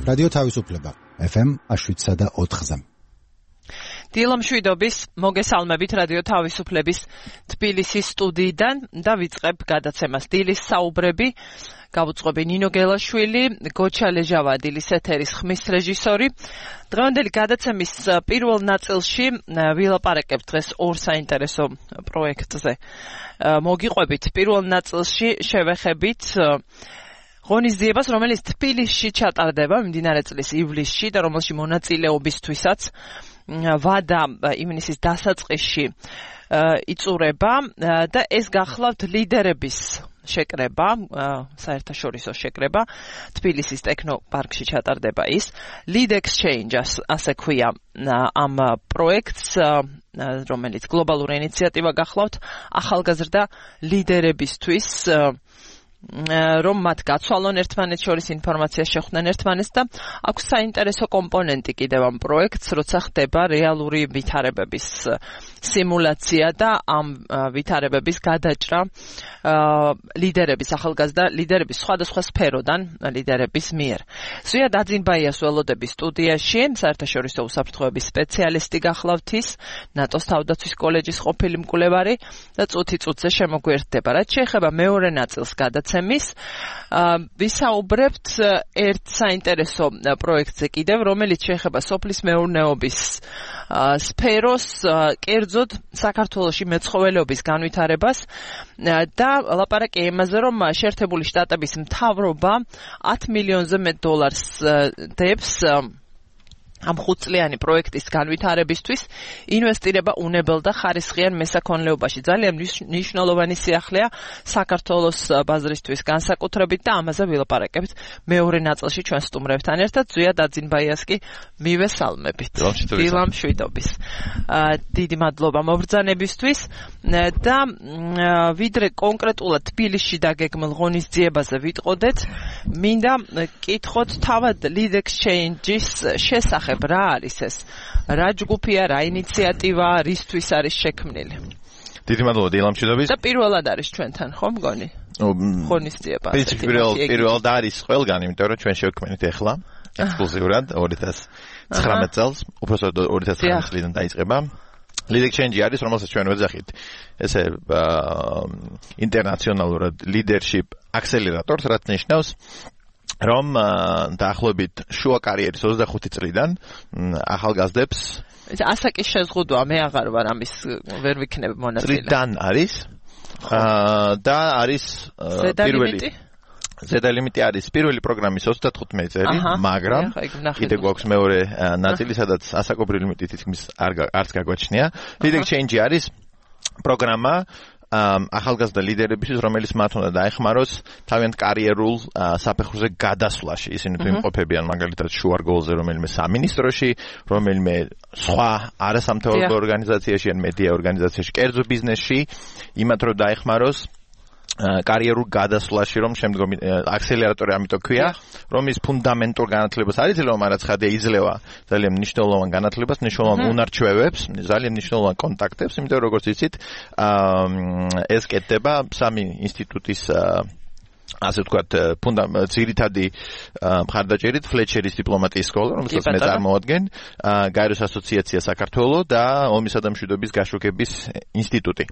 რადიო თავისუფლება FM 7.4-ზე. დილა მშვიდობის, მოგესალმებით რადიო თავისუფლების თბილისის სტუდიიდან და ვიწყებ გადაცემას დილის საუბრები. Გავუწყობი ნინო გელაშვილი, გოჩა ლეჟავა დილის ეთერის ხმის რეჟისორი. დღევანდელი გადაცემის პირველ ნაწილში ვილაპარაკებთ დღეს ორ საინტერესო პროექტზე. მოგიყვებით პირველ ნაწილში შევეხებით ღონისძიებას, რომელიც თბილისში ჩატარდება მიმდინარე წლის ივლისში და რომელში მონაწილეობისთვისაც ვადა ივნისის დასაწყისში იწურება და ეს გახლავთ ლიდერების შეკრება, საერთაშორისო შეკრება, თბილისის ტექნოპარკში ჩატარდება ის. Lead Exchange ასე ქვია ამ პროექტს, რომელიც გლობალური ინიციატივა გახლავთ ახალგაზრდა ლიდერებისთვის, რომ მათ გაცვალონ ერთმანეთს შორის ინფორმაციას შეხვდნენ ერთმანეთს და აქვს საინტერესო კომპონენტი კიდევ ამ პროექტს, როცა ხდება რეალური ვითარებების სიმულაცია და ამ ვითარებების გადაჭრა ლიდერების, ახალგაზრდა ლიდერების სხვადასხვა სფეროდან ლიდერების მიერ. ზვია დაძინბაიას ველოდები სტუდიაში, საერთაშორისო უსაფრთხოების სპეციალისტი გახლავთ ის, ნატოს თავდაცვის კოლეჯის ყოფილი მკვლევარი და წუთი-წუთზე შემოგვერდება. რაც შეეხება მეორე ნაწილს გადაცემის, ვისაუბრებთ ერთ საინტერესო პროექტზე კიდევ, რომელიც შეეხება სოფლის მეურნეობის სფეროს, კერძოდ საქართველოში მეცხოველეობის განვითარებას და ლაპარაკი იმაზე, რომ შეერთებული შტატების მთავრობა 10 მილიონზე მეტ დოლარს დებს ამ 5 წლიანი პროექტის განვითარებისთვის ინვესტირება უნებელ და ხარისხიან მესაქონლეობაში. ძალიან მნიშვნელოვანი სიახლეა საქართველოს ბაზრისთვის განსაკუთრებით და ამაზე ვილაპარაკებთ მეორე ნაწილში ჩვენ სტუმრებთან ერთად. ზვია დაძინბაიას კი მივესალმებით. დილა მშვიდობის. დიდი მადლობა მობრძანებისთვის და ვიდრე კონკრეტულად თბილისში დაგეგმილ ღონისძიებაზე ვიტყოდეთ, მინდა კითხოთ თავად Lead Exchange-ის შესახებ. რა არის ეს? რა ჯგუფია, რა ინიციატივა, რისთვის არის შექმნილი? დიდი მადლობა დილა მშვიდობის. და პირველად არის ჩვენთან, ხო მგონი? ღონისძიება. პირველად არის ყველგან, იმიტომ რომ ჩვენ შევქმნით ახლა ექსკლუზიურად 2019 წელს, უბრალოდ 2019 წლიდან დაიწყება. Lead Exchange არის, რომელსაც ჩვენ ვეძახით ესე ინტერნაციონალურად leadership accelerator, რაც ნიშნავს რომ დაახლოებით შუა კარიერის 25 წლიდან ახალგაზრდებს ასაკის შეზღუდვა მე აღარ ვარ ამის ვერ ვიქნებ მონაწილე. წლიდან არის და არის პირველი ზედა ლიმიტი არის პირველი პროგრამის 35 წელი, მაგრამ კიდე გვაქვს მეორე ნაწილი, სადაც ასაკობრივი ლიმიტი თითქმის არც გაგვაჩნია. Lead Exchange არის პროგრამა ახალგაზრდა ლიდერებისთვის, რომელიც მათ უნდა დაეხმაროს თავიანთ კარიერულ საფეხურზე გადასვლაში. ისინი იმყოფებიან მაგალითად შუარგოლზე, რომელიმე სამინისტროში, რომელიმე სხვა არასამთავრობო ორგანიზაციაში ან მედია ორგანიზაციაში, კერძო ბიზნესში, იმათ რომ დაეხმაროს კარიერულ გადასვლაში, რომ შემდგომი აქსელერატორი ამიტომ ქვია, რომ ის ფუნდამენტურ განათლებას არ იძლევა, მაგრამ ცხადია იძლევა ძალიან მნიშვნელოვან განათლებას, მნიშვნელოვან უნარჩვევებს, ძალიან მნიშვნელოვან კონტაქტებს, იმიტომ როგორც იცით, ეს კეთდება სამი ინსტიტუტის ასე ვთქვათ, ძირითადი მხარდაჭერით ფლეჩერის დიპლომატიის სკოლა, რომელსაც მე წარმოვადგენ, გაეროს ასოციაცია საქართველოს და ომისა და მშვიდობის გაშუქების ინსტიტუტი.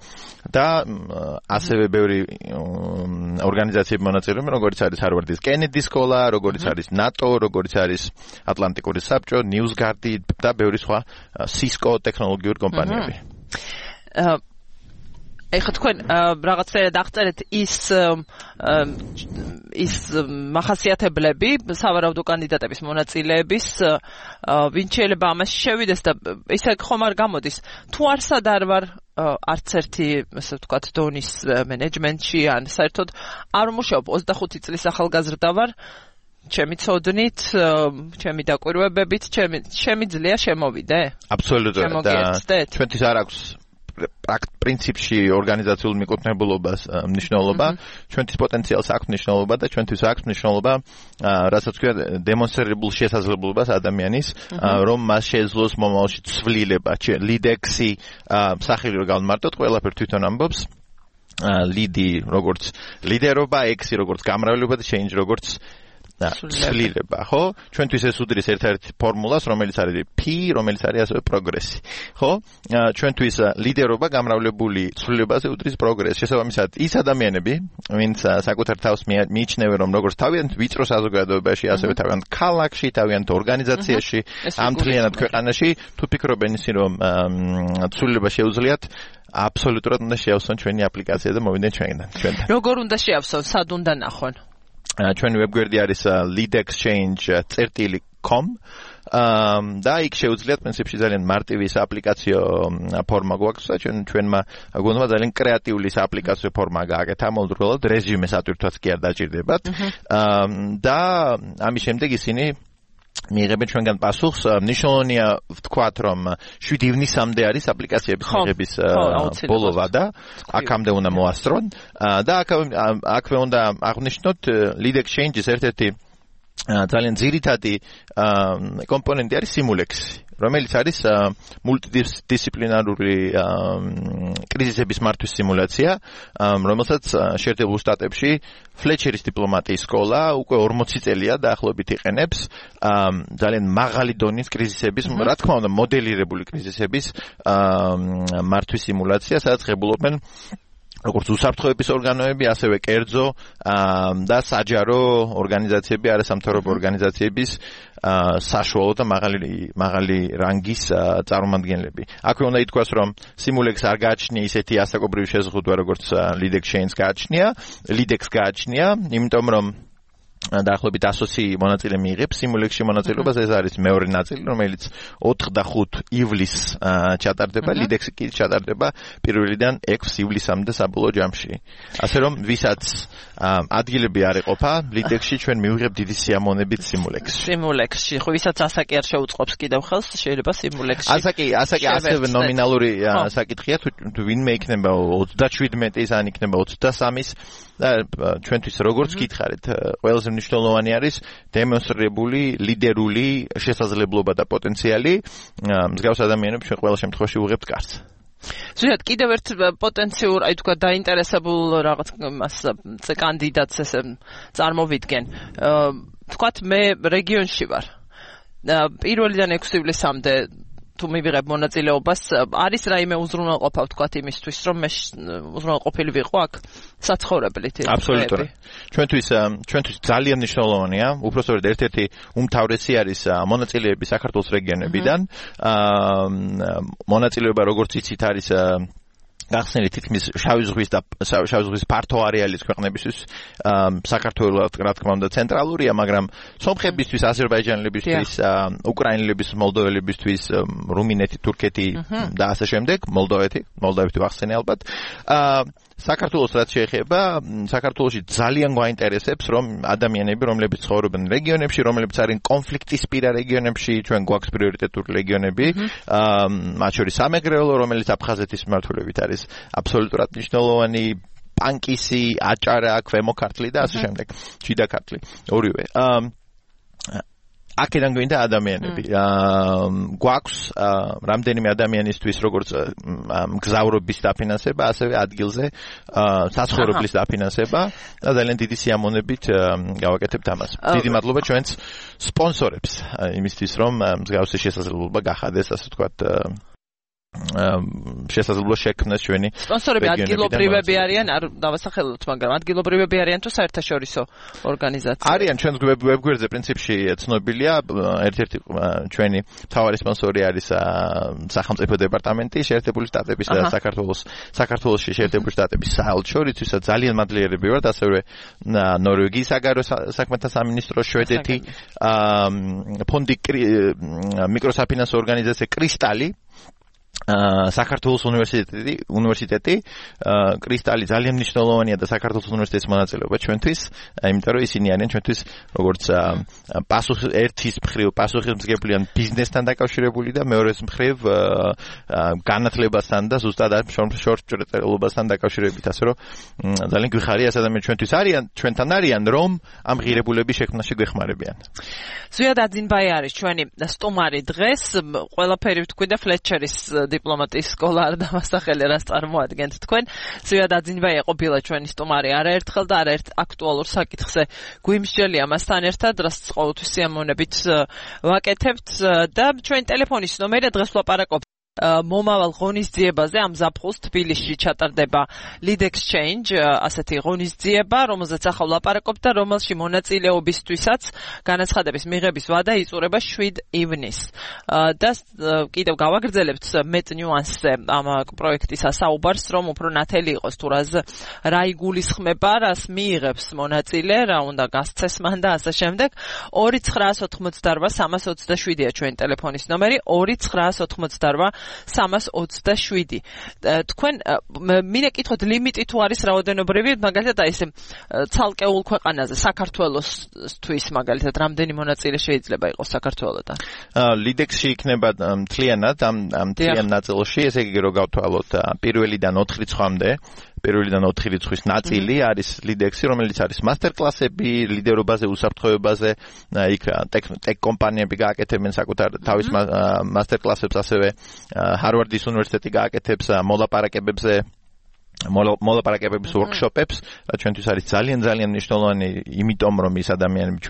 და ასევე ბევრი ორგანიზაციები მონაწილეობენ, როგორც არის ჰარვარდის კენედის სკოლა, როგორც არის ნატო, როგორც არის ატლანტიკური საბჭო, ნიუსგარდი და ბევრი სხვა სისკო ტექნოლოგიური კომპანიები. ეხლა თქვენ რაღაცნაირად აღწერეთ ის მახასიათებლები სავარაუდო კანდიდატების მონაწილეების, ვინ შეიძლება ამაში შევიდეს და ისე ხომ არ გამოდის, თუ არსად არ ვარ არც ერთი, ასე ვთქვათ, დონის მენეჯმენტში ან საერთოდ არ მუშაობ 25 წლის ახალგაზრდა ვარ, ჩემი ცოდნით, ჩემი დაკვირვებებით, ჩემი ძლია შემოვიდე? აბსოლუტურად და ჩვენთვის არ აქვს პრინციპში ორგანიზაციულ მიკუთვნებულობას მნიშვნელობა, ჩვენთვის პოტენციალს აქვს მნიშვნელობა და ჩვენთვის აქვს მნიშვნელობა, რასაც ქვია დემონსტრირებულ შესაძლებლობას ადამიანის, რომ მას შეძლოს მომავალში ცვლილება, ლიდექსი, სახელი რო გავმარტოთ, ყველაფერი თვითონ ამბობს. Ლიდი როგორც ლიდერობა, ექსი როგორც გამრავლება და change როგორც ცვლილება, ხო? ჩვენთვის ეს უდრის ერთ-ერთ ფორმულას, რომელიც არის P, რომელიც არის ასევე პროგრესი. ხო? ჩვენთვის ლიდერობა გამრავლებული ცვლილებაზე უდრის პროგრესს. შესაბამისად, ის ადამიანები, ვინც საკუთარ თავს მიიჩნევენ, რომ როგორც თავიანთ ვიწრო საზოგადოებაში, ასევე თავიანთ ქალაქში, თავიანთ ორგანიზაციაში, ამ მთლიანად ქვეყანაში, თუ ფიქრობენ ისინი, რომ ცვლილება შეუძლიათ, აბსოლუტურად უნდა შეავსონ ჩვენი აპლიკაცია და მოვიდნენ ჩვენთან. როგორ უნდა შეავსონ? სად უნდა ნახონ? ჩვენი ვებგვერდი არის leadexchange.com და იქ შეუძლიათ პრინციპში ძალიან მარტივი აპლიკაციო ფორმა გვაქვს და ჩვენმა გუნდმა ძალიან კრეატიული აპლიკაციო ფორმა გააკეთა ამავდროულად რეზიუმეს ატვირთვაც კი არ დაჭირდებათ და ამის შემდეგ ისინი მიიღებენ ჩვენგან პასუხს. ნიშნულოვანია ვთქვათ, რომ 7 ივნისამდე არის აპლიკაციების მიღების ბოლო ვადა, აქამდე უნდა მოასწრონ და აქვე უნდა აღვნიშნოთ Lead Exchange-ის ერთ-ერთი ძალიან ძირითადი კომპონენტი არის Simulex-ი, რომელიც არის მულტიდისციპლინარული კრიზისების მართვის სიმულაცია, რომელსაც შეერთებულ შტატებში ფლეჩერის დიპლომატიის სკოლა უკვე 40 წელია დაახლოებით იყენებს ძალიან მაღალი დონის კრიზისების, რა თქმა უნდა, მოდელირებული კრიზისების მართვის სიმულაცია, სადაც ღებულობენ როგორც უსაფრთხოების ორგანოები, ასევე კერძო და საჯარო ორგანიზაციები, არასამთავრობო ორგანიზაციების საშუალო და მაღალი რანგის წარმომადგენლები. აქვე უნდა ითქვას, რომ Simulex არ გააჩნია ისეთი ასაკობრივი შეზღუდვა, როგორც Lead Exchange გააჩნია, იმიტომ რომ დაახლოებით 120 მონაწილე მიიღებს Simulex-ში მონაწილეობას, ეს არის მეორე ნაწილი, რომელიც 4 და 5 ივლისს ჩატარდება, Lead-X კი ჩატარდება 1-დან 6 ივლისამდე საბოლოო ჯამში. ასე რომ, ვისაც ადგილები არ ეყოფა, Lead-X-ში ჩვენ მივიღებთ დიდი სიამოვნებით Simulex-ში, ხო, ვისაც ასაკი არ შეუწყობს კიდევ ხელს, შეიძლება Simulex-ში. ასაკი ასევე ნომინალური საკითხია, თუ ვინმე იქნება 37-ის, ან იქნება 23-ის და ჩვენთვის როგორც გითხარით, ყველაზე მნიშვნელოვანი არის დემონსტრირებული ლიდერული შესაძლებლობა და პოტენციალი. მსგავს ადამიანებს ჩვენ ყველა შემთხვევაში ვუღებთ კარს. ზუსტად კიდევ ერთ პოტენციურ, აი თქვა დაინტერესებულ რაღაც კანდიდატს ესე წარმოვიდგენ. თქვათ მე რეგიონში ვარ. 1-დან 6 ივლისამდე თუ მივიღებ მონაწილეობას, არის რაიმე უზრუნველყოფა ვთქვათ იმისთვის, რომ მე უზრუნველყოფილი ვიყო აქ საცხოვრებლით. აბსოლუტურად. ჩვენთვის ძალიან მნიშვნელოვანია, უпростоრად ერთ-ერთი უმთავრესი არის მონაწილეები საქართველოს რეგიონებიდან. მონაწილეობა როგორც იცით არის გახსნილი თითქმის შავი ზღვის ფართო არეალის ქვეყნებისთვის, საქართველოს რა თქმა უნდა ცენტრალურია, მაგრამ სომხებისთვის, აზერბაიჯანელებისთვის, უკრაინელებისთვის, მოლდოველებისთვის, რუმინეთი, თურქეთი და ასე შემდეგ, მოლდოვეთი ვახსენე ალბათ. საქართველოს რაც შეეხება, საქართველოში ძალიან გვაინტერესებს, რომ ადამიანები, რომლებიც ცხოვრობენ რეგიონებში, რომლებიც არიან კონფლიქტისპირა რეგიონებში, ჩვენ გვაქვს პრიორიტეტული რეგიონები, მათ შორის სამეგრელო, რომელიც აფხაზეთის მმართველობით არის აბსოლუტურად მნიშვნელოვანი, პანკისი, აჭარა, ქვემო ქართლი და ასე შემდეგ, შიდა ქართლი, ორივე. აქედან გვინდა ადამიანები. გვაქვს რამდენიმე ადამიანისთვის როგორც მგზავრობის დაფინანსება, ასევე ადგილზე საცხოვრებლის დაფინანსება და ძალიან დიდი სიამოვნებით გავაკეთებთ ამას. დიდი მადლობა ჩვენს სპონსორებს იმისთვის, რომ მსგავსი შესაძლებლობა გახადეს, ასე ვთქვათ, შესაძლებლობა შექმნას ჩვენი სპონსორები ადგილობრივები არიან, არ დავასახელოთ, მაგრამ ადგილობრივები არიან თუ საერთაშორისო ორგანიზაციები? არიან, ჩვენს ვებგვერდზე პრინციპში ცნობილია, ერთ-ერთი ჩვენი მთავარი სპონსორი არის სახელმწიფო დეპარტამენტი შეერთებული შტატების და საქართველოში შეერთებული შტატების საელჩო, რითვისაც ძალიან მადლიერები ვართ, ასევე ნორვეგიის საგარეო საქმეთა სამინისტრო, შვედეთი, ფონდი მიკროსაფინანსო ორგანიზაცია კრისტალი, საქართველოს უნივერსიტეტი, კრისტალი ძალიან მნიშვნელოვანია და საქართველოს უნივერსიტეტის მონაწილეობა ჩვენთვის, იმიტომ რომ ისინი არიან ჩვენთვის როგორც ერთის მხრივ პასუხისმგებლიან ბიზნესთან დაკავშირებული და მეორეს მხრივ განათლებასთან და ზუსტად შორტჭრეტელობასთან დაკავშირებით, ასე რომ ძალიან გვიხარია ეს ადამიანები ჩვენთვის არიან, ჩვენთან არიან, რომ ამ ღირებულების შექმნაში გვეხმარებიან. ზვიად აძინბაი არის ჩვენი სტუმარი დღეს, ყველაფერი ვთქვი და ფლეჩერის დიპლომატიის სკოლა არ დამასახელე რას წარმოადგენთ თქვენ. ზევად აძინბაია ყოფილა ჩვენი სტუმარი არაერთხელ და არაერთ აქტუალურ საკითხზე გვიმსჯელია მასთან ერთად, რაც ყოველთვის სიამოვნებით ვაკეთებთ და ჩვენი ტელეფონის ნომერია დღეს ვლაპარაკობთ მომავალ ღონისძიებაზე ამ ზაფხულს თბილისში ჩატარდება Lead Exchange, ასეთი ღონისძიება, რომელზეც ახლა ვლაპარაკობთ და რომელში მონაწილეობისთვისაც განაცხადების მიღების ვადა იწურება 7 ივნისს. და კიდევ გავაგრძელებთ მეტ ნიუანსზე ამ პროექტის საუბარს, რომ უფრო ნათელი იყოს თუ რა იგულისხმება, რას მიიღებს მონაწილე, რა უნდა გასცეს მან და ასე შემდეგ. 2988-327-ია ჩვენი ტელეფონის ნომერი, 2988-327. თქვენ მინდა კითხოთ ლიმიტი თუ არის რაოდენობრივი, მაგალითად აი ესე ცალკეულ ქვეყანაზე, საქართველოსთვის მაგალითად რამდენი მონაწილე შეიძლება იყოს საქართველოდან? ლიდექსში იქნება მთლიანად ამ მთლიან ნაწილში, ესე იგი რომ გავთვალოთ პირველიდან 4 რიცხვამდე პირველიდან 4 რიცხვის ნაწილი არის ლიდექსი, რომელიც არის მასტერკლასები, ლიდერობაზე, უსაფრთხოებაზე, იქ ტექ კომპანიები გააკეთებენ საკუთარ თავის მასტერკლასებს, ასევე ჰარვარდის უნივერსიტეტი გააკეთებს მოლაპარაკებების ვორქშოპებს, რაც ჩვენთვის არის ძალიან მნიშვნელოვანი, იმიტომ რომ ის ადამიანები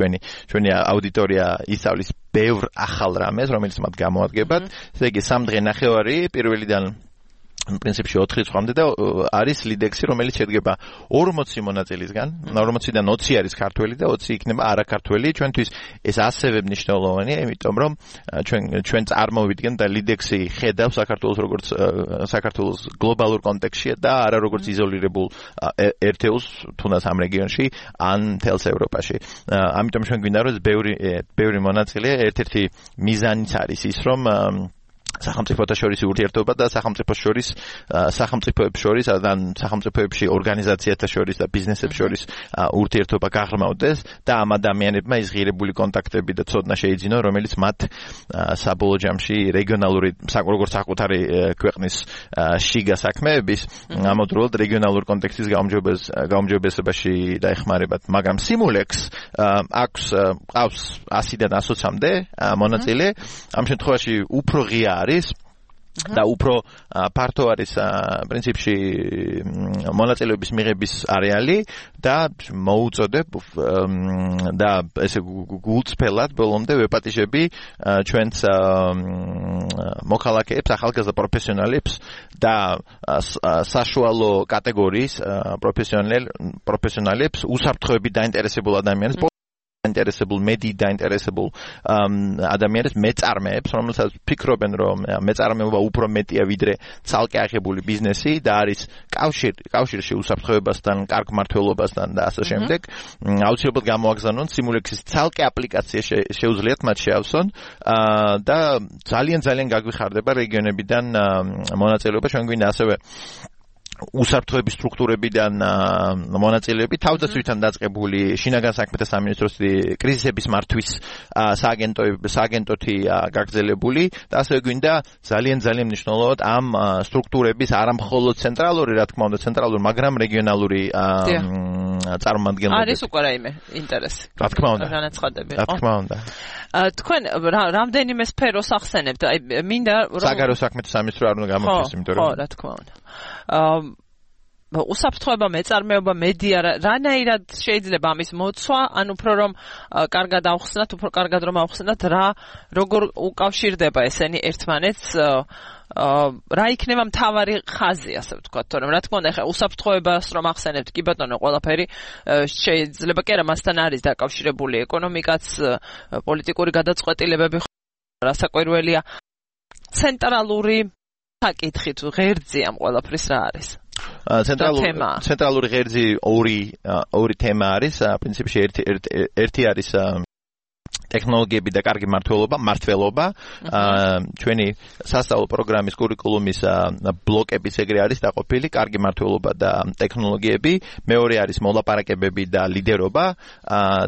ჩვენი აუდიტორია ისწავლის ბევრ ახალ რამეს, რომელიც მათ გამოადგებათ. ესე იგი 3 დღე ნახევარი პირველიდან პრინციპში 4 რიცხვამდე და არის ლიდექსი, რომელიც შედგება 40 მონაწილისგან, 40-დან 20 არის ქართველი და 20 იქნება არაქართველი. ჩვენთვის ეს ასევე მნიშვნელოვანია, იმიტომ რომ ჩვენ წარმოვიდგენ და ლიდექსი ხედავს საქართველოს როგორც საქართველოს გლობალურ კონტექსტში და არა როგორც იზოლირებულ ერთეულს, თუნდაც ამ რეგიონში ან მთელს ევროპაში. ამიტომ ჩვენ გვინდა რომ ბევრი მონაწილე, ერთ-ერთი მიზანიც არის ის, რომ სახელმწიფოთა შორის ურთიერთობა და სახელმწიფოებს შორის და სახელმწიფოებში ორგანიზაციათა შორის და ბიზნესებს შორის ურთიერთობა გაღრმავდეს და ამ ადამიანებმა ის ღირებული კონტაქტები და ცოდნა შეიძინონ, რომელიც მათ საბოლოო ჯამში რეგიონალური როგორც საკუთარი ქვეყნის შიგა საქმეების ამავდროულად რეგიონალურ კონტექსტის გაუმჯობესებაში დაეხმარებათ. მაგრამ Simulex აქვს 100-დან 120-მდე მონაწილე, ამ შემთხვევაში უფრო ღია არის და უფრო ფართო არის პრინციპში მონაწილეობის მიღების არეალი და მოუწოდებ და ესე გულწრფელად ბოლომდე ვეპატიჟები ჩვენს მოქალაქეებს, ახალგაზრდა პროფესიონალებს და საშუალო კატეგორიის პროფესიონალებს, უსაფრთხოებით დაინტერესებულ ადამიანებს, დაინტერესებულ მედიით დაინტერესებულ ადამიანებს, მეწარმეებს, რომელსაც ფიქრობენ, რომ მეწარმეობა უფრო მეტია ვიდრე ცალკე აღებული ბიზნესი და არის კავშირში უსაფრთხოებასთან, კარგ მმართველობასთან და ასე შემდეგ. აუცილებლად გამოაგზავნონ Simulex-ის ცალკე აპლიკაცია შეუძლიათ მათ შეავსონ და ძალიან გაგვიხარდება რეგიონებიდან მონაწილეობა. ჩვენ გვინდა ასევე უსაფრთხოების სტრუქტურებიდან მონაწილეები, თავდაცვითთან დაწყებული შინაგან საქმეთა სამინისტროს კრიზისების მართვის სააგენტოთი გაგრძელებული და ასევე გვინდა ძალიან მნიშვნელოვნად ამ სტრუქტურების არამხოლოდ ცენტრალური, რა თქმა უნდა, ცენტრალური, მაგრამ რეგიონალური წარმომადგენლები. არის უკვე რაიმე ინტერესი. რა თქმა უნდა. განაცხადები. რა თქმა უნდა. თქვენ რამდენიმე სფეროს ახსენებთ? აი მინდა საგარეო საქმეთა სამინისტრო არ უნდა გამოვხდეს, იმიტომ რომ ხო, რა თქმა უნდა. უსაფრთხოება, მეწარმეობა, მედია, რანაირად შეიძლება ამის მოცვა, ან უფრო რომ კარგად ავხსნათ, უფრო კარგად რომ ავხსნათ, როგორ უკავშირდება ესენი ერთმანეთს, რა იქნება მთავარი ხაზი, ასე ვთქვათ, თორემ რა თქმა უნდა, ხა უსაფრთხოებას რომ ახსენებთ, კი ბატონო, ყველაფერი შეიძლება კი არა მასთან არის დაკავშირებული, ეკონომიკაც, პოლიტიკური გადაწყვეტილებები, რასაკვირველია, ცენტრალური საკითხი თუ ღერძი ამ ყველაფრის რა არის? ცენტრალური ღერძი ორი თემა არის, პრინციპში ერთი არის ტექნოლოგიები და კარგი მმართველობა. ჩვენი სასწავლო პროგრამის კურიკულუმის ბლოკების ეგრე არის დაყოფილი, კარგი მმართველობა და ტექნოლოგიები, მეორე არის მოლაპარაკებები და ლიდერობა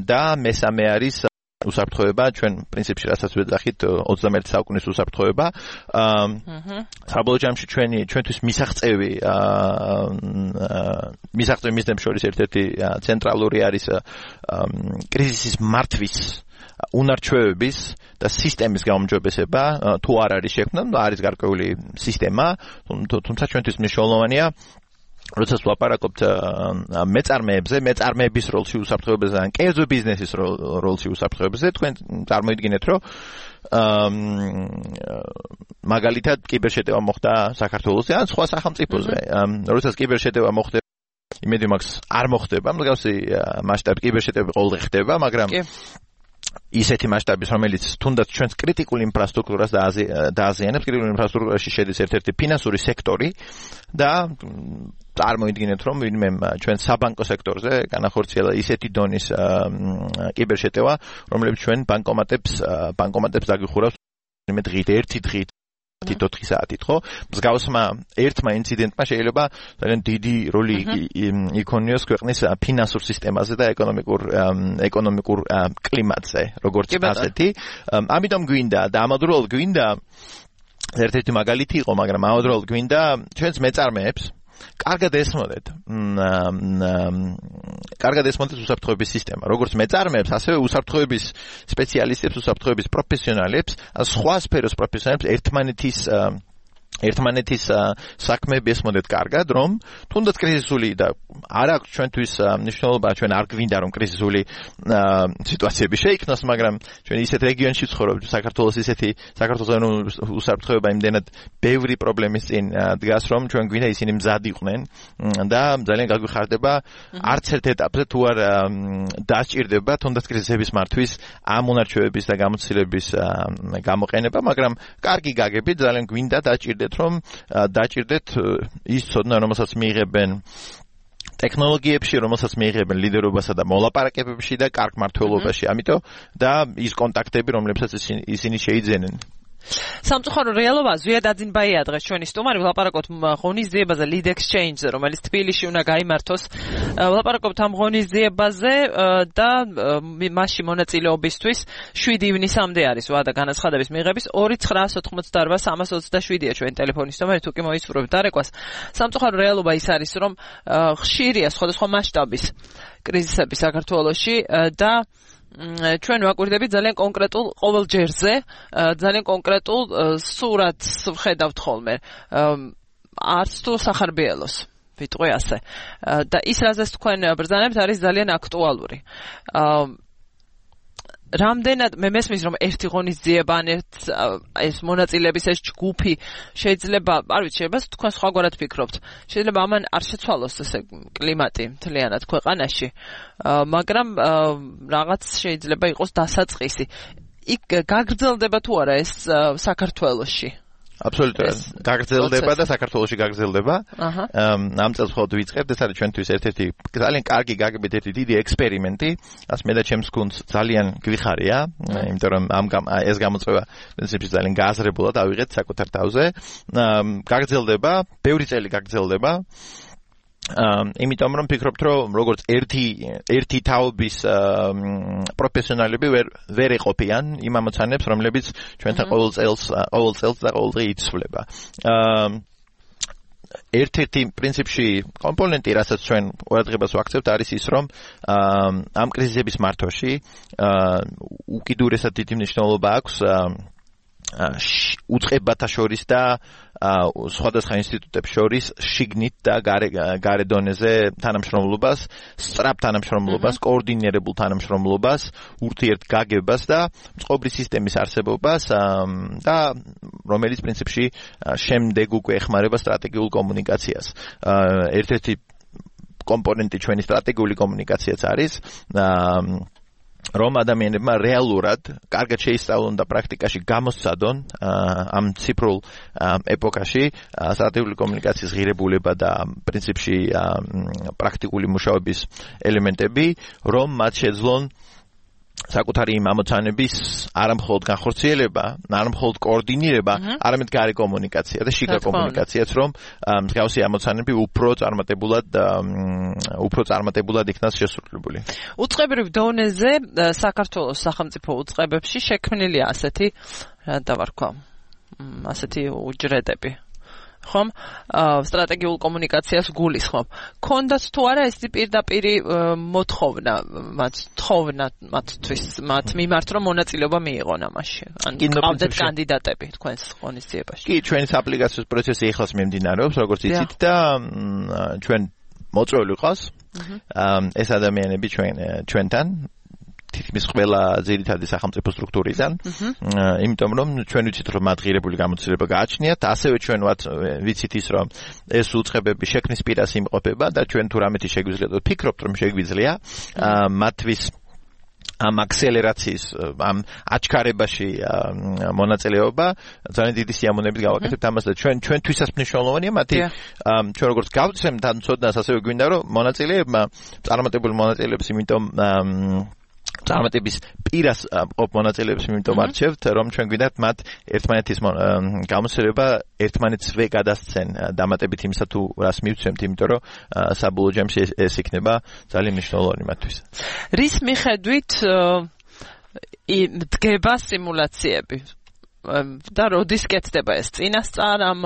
და მესამე არის უსაფრთხოება, ჩვენ პრინციპში რასაც ვეძახით 21 საუკუნის უსაფრთხოება. საბოლოო ჯამში ჩვენთვის მისაღწევი მიზნებს შორის ერთ-ერთი ცენტრალური არის კრიზისის მართვის უნარჩვევების და სისტემის გაუმჯობესება თუ არ არის შექმნა, არის გარკვეული სისტემა, თუმცა ჩვენთვის მნიშვნელოვანია როდესაც ვაპარაკობთ მეწარმეებზე, მეწარმეების როლში უსაფრთხოებაზე ან კერძო ბიზნესის როლში უსაფრთხოებაზე, თქვენ წარმოიდგინეთ, რომ მაგალითად კიბერშეტევა მოხდა საქართველოსზე ან სხვა სახელმწიფოზე. როდესაც კიბერშეტევა მოხდება, იმედი მაქვს არ მოხდება, მსგავსი მასშტაბი კიბერშეტევები ყოველდღე ხდება, მაგრამ ისეთი მასშტაბის, რომელიც თუნდაც ჩვენს კრიტიკულ ინფრასტრუქტურას დააზიანებს, კრიტიკულ ინფრასტრუქტურაში შედის ერთ-ერთი ფინანსური სექტორი და წარმოიდგინეთ, რომ ვინმე ჩვენ საბანკო სექტორზე განახორციელა ისეთი დონის კიბერშეტევა, რომელიც ჩვენ ბანკომატებს დაგიხურავს მე დღით, ერთი დღით 4 საათით, ხო? მსგავსმა ერთმა ინციდენტმა შეიძლება ძალიან დიდი როლი იქონიოს ქვეყნის ფინანსურ სისტემაზე და ეკონომიკურ კლიმატზე, როგორც ასეთი. ამიტომ გვინდა და ამავდროულად გვინდა ერთ-ერთი მაგალითი იყო, მაგრამ ამავდროულად გვინდა ჩვენს მეწარმეებს კარგად ესმოდეთ უსაფრთხოების სისტემა. როგორც მეწარმეებს, ასევე უსაფრთხოების სპეციალისტებს, უსაფრთხოების პროფესიონალებს, სხვა სფეროს პროფესიონალებს ერთმანეთის საქმეები ესმოდეთ კარგად, რომ თუნდაც კრიზისული და არ აქვს ჩვენთვის მნიშვნელობა, ჩვენ არ გვინდა რომ კრიზისული სიტუაციები შეიქმნას, მაგრამ ჩვენ ისეთ რეგიონში ვცხოვრობთ, საქართველოს უსაფრთხოება იმდენად ბევრი პრობლემის წინ დგას, რომ ჩვენ გვინდა ისინი მზად იყვნენ და ძალიან გაგვიხარდება არც ერთ ეტაპზე თუ არ დასჭირდება თუნდაც კრიზისების მართვის ამ უნარჩვევების და გამოცდილების გამოყენება, მაგრამ კარგი გაგებით ძალიან გვინდა დაჭირდეთ ის ცოდნა, რომელსაც მიიღებენ ტექნოლოგიებში, რომელსაც მიიღებენ ლიდერობასა და მოლაპარაკებებში და კარგ მმართველობაში, ამიტომ და ის კონტაქტები, რომლებსაც ისინი შეიძენენ. სამწუხარო რეალობა ზვიად აძინბაია დღეს ჩვენი სტუმარი, ვლაპარაკობთ ღონისძიებაზე Lead Exchange-ზე, რომელიც თბილისში უნდა გაიმართოს. ვლაპარაკობთ ამ ღონისძიებაზე და მასში მონაწილეობისთვის 7 ივნისამდე არის ვადა განაცხადების მიღების 2988327-ია ჩვენი ტელეფონის ნომერი, თუ კი მოისურვებთ დარეკვას. სამწუხარო რეალობა ის არის, რომ ხშირია სხვადასხვა მასშტაბის კრიზისები საქართველოში და ჩვენ ვაკვირდებით ძალიან კონკრეტულ ყოველ ჯერზე, ძალიან კონკრეტულ სურათს ვხედავთ ხოლმე. არც თუ სახარბიელოს, ვიტყვი ასე. და ის რაზეც თქვენ ბრძანებთ არის ძალიან აქტუალური. რამდენად მე მესმის რომ ერთი ღონისძიება ან ეს მონაწილეების ეს ჯგუფი შეიძლება, არ ვიცი, შეიძლება თქვენ სხვაგვარად ფიქრობთ. შეიძლება ამან არ შეცვალოს ესე კლიმატი მთლიანად ქვეყანაში, მაგრამ რაღაც შეიძლება იყოს დასაწყისი. იქ გაგრძელდება თუ არა ეს საქართველოში? აბსოლუტურად. გაგრძელდება და საქართველოში გაგრძელდება. ამ წელს მხოლოდ ვიწყებთ, ეს არის ჩვენთვის ერთ-ერთი ძალიან კარგი გაგებით ერთი დიდი ექსპერიმენტი. ასე მე და ჩემს გუნდს ძალიან გვიხარია, იმიტომ რომ ეს გამოწვევა პრინციპში ძალიან გააზრებულად ავიღეთ საკუთარ თავზე. გაგრძელდება, ბევრი წელი გაგრძელდება. იმიტომ რომ ფიქრობთ, რომ როგორც ერთი თაობის პროფესიონალები ვერ ეყოფიან იმ ამოცანებს, რომლებიც ჩვენთან ყოველ წელს და ყოველდღე იცვლება. ერთ-ერთი პრინციპში კომპონენტი, რასაც ჩვენ ყურადღებას ვაქცევთ, არის ის, რომ ამ კრიზისების მართვაში უკიდურესად დიდი მნიშვნელობა აქვს უწყებათა შორის და სხვადასხვა ინსტიტუტებს შორის შიგნით და გარე დონეზე თანამშრომლობას, სწრაფ თანამშრომლობას, კოორდინირებულ თანამშრომლობას, ურთიერთგაგებას და წყობრი სისტემის არსებობას და რომელიც პრინციპში შემდეგ უკვე ეხმარება სტრატეგიულ კომუნიკაციას. ერთ-ერთი კომპონენტი ჩვენი სტრატეგიული კომუნიკაციაც არის რომ ადამიანებმა რეალურად კარგად შეისწავლონ და პრაქტიკაში გამოსცადონ ამ ციფრულ ეპოქაში სტრატეგიული კომუნიკაციის ღირებულება და პრინციპში პრაქტიკული მუშაობის ელემენტები, რომ მათ შეძლონ საკუთარი იმ ამოცანების არამხოლოდ განხორციელება, არამხოლოდ კოორდინირება, არამედ გარე კომუნიკაცია და შიგა კომუნიკაციაც, რომ მსგავსი ამოცანები უფრო წარმატებულად იქნას შესრულებული. უწყებრივ დონეზე საქართველოს სახელმწიფო უწყებებში შექმნილია ასეთი, რა დავარქვა, ასეთი უჯრედები. ხომ სტრატეგიულ კომუნიკაციას გულისხმობ. ქონდათ თუ არა ეს პირდაპირი მოთხოვნა მათთვის მათ მიმართ რომ მონაწილეობა მიიღონ ამაში. ან ყავდეთ კანდიდატები თქვენს ღონისძიებაში. კი, ჩვენი აპლიკაციის პროცესი ეხლაც მიმდინარეობს, როგორც იცით და ჩვენ მოწვეული ყავს. ეს ადამიანები ჩვენთან თითქმის ყველა ძირითადი სახელმწიფო სტრუქტურიდან, იმიტომ რომ ჩვენ ვიცით რომ მათ ღირებული გამოცდილება გააჩნიათ, ასევე ჩვენ ვიცით ის რომ ეს უწყებები შექმნის პირას იმყოფება და ჩვენ თუ რამეთი შეგვიძლია და ვფიქრობთ რომ შეგვიძლია მათთვის ამ აქსელერაციის ამ აჩქარებაში მონაწილეობა ძალიან დიდი სიამოვნებით გავაკეთებთ ამას და ჩვენთვისაც მნიშვნელოვანია მათი ჩვენ როგორც გავცემთ ამ ცოდნას ასევე გვინდა რომ მონაწილეებმა წარმატებული მონაწილეებს იმიტომ წარმატების პირას ყოფ მონაწილეებს იმიტომ არჩევთ რომ ჩვენ გვინდათ მათ ერთმანეთის გამოსცემება ერთმანეთსვე გადასცენ დამატებით იმისა თუ რას მივცემთ იმიტომ რომ საბოლოო ჯამში ეს იქნება ძალიან მნიშვნელოვანი მათთვის. რის მიხედვით დგება სიმულაციები და როდის კეთდება ეს წინასწარ ამ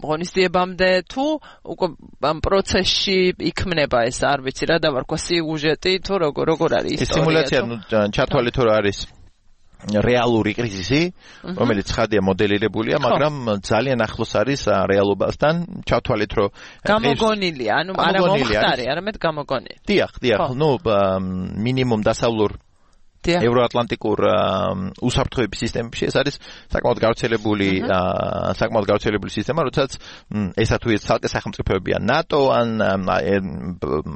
ღონისძიებამდე თუ უკვე ამ პროცესში იქმნება ეს არ ვიცი რა დავარქვა სიუჟეტი თუ როგორ არის ისტორია. ეს სიმულაცია ჩათვალეთ რომ არის რეალური კრიზისი, რომელიც ხადია მოდელირებულია, მაგრამ ძალიან ახლოს არის რეალობასთან. ჩათვალეთ რომ გამოგონილია, ანუ არა მომხდარი, არამედ გამოგონილი. დიახ, მინიმუმ დასავლურ ევროატლანტიკურ უსაფრთხოების სისტემებში ეს არის საკმაოდ გავრცელებული სისტემა, როდესაც ესა თუ ეს ცალკე სახელმწიფოებია ნატო ან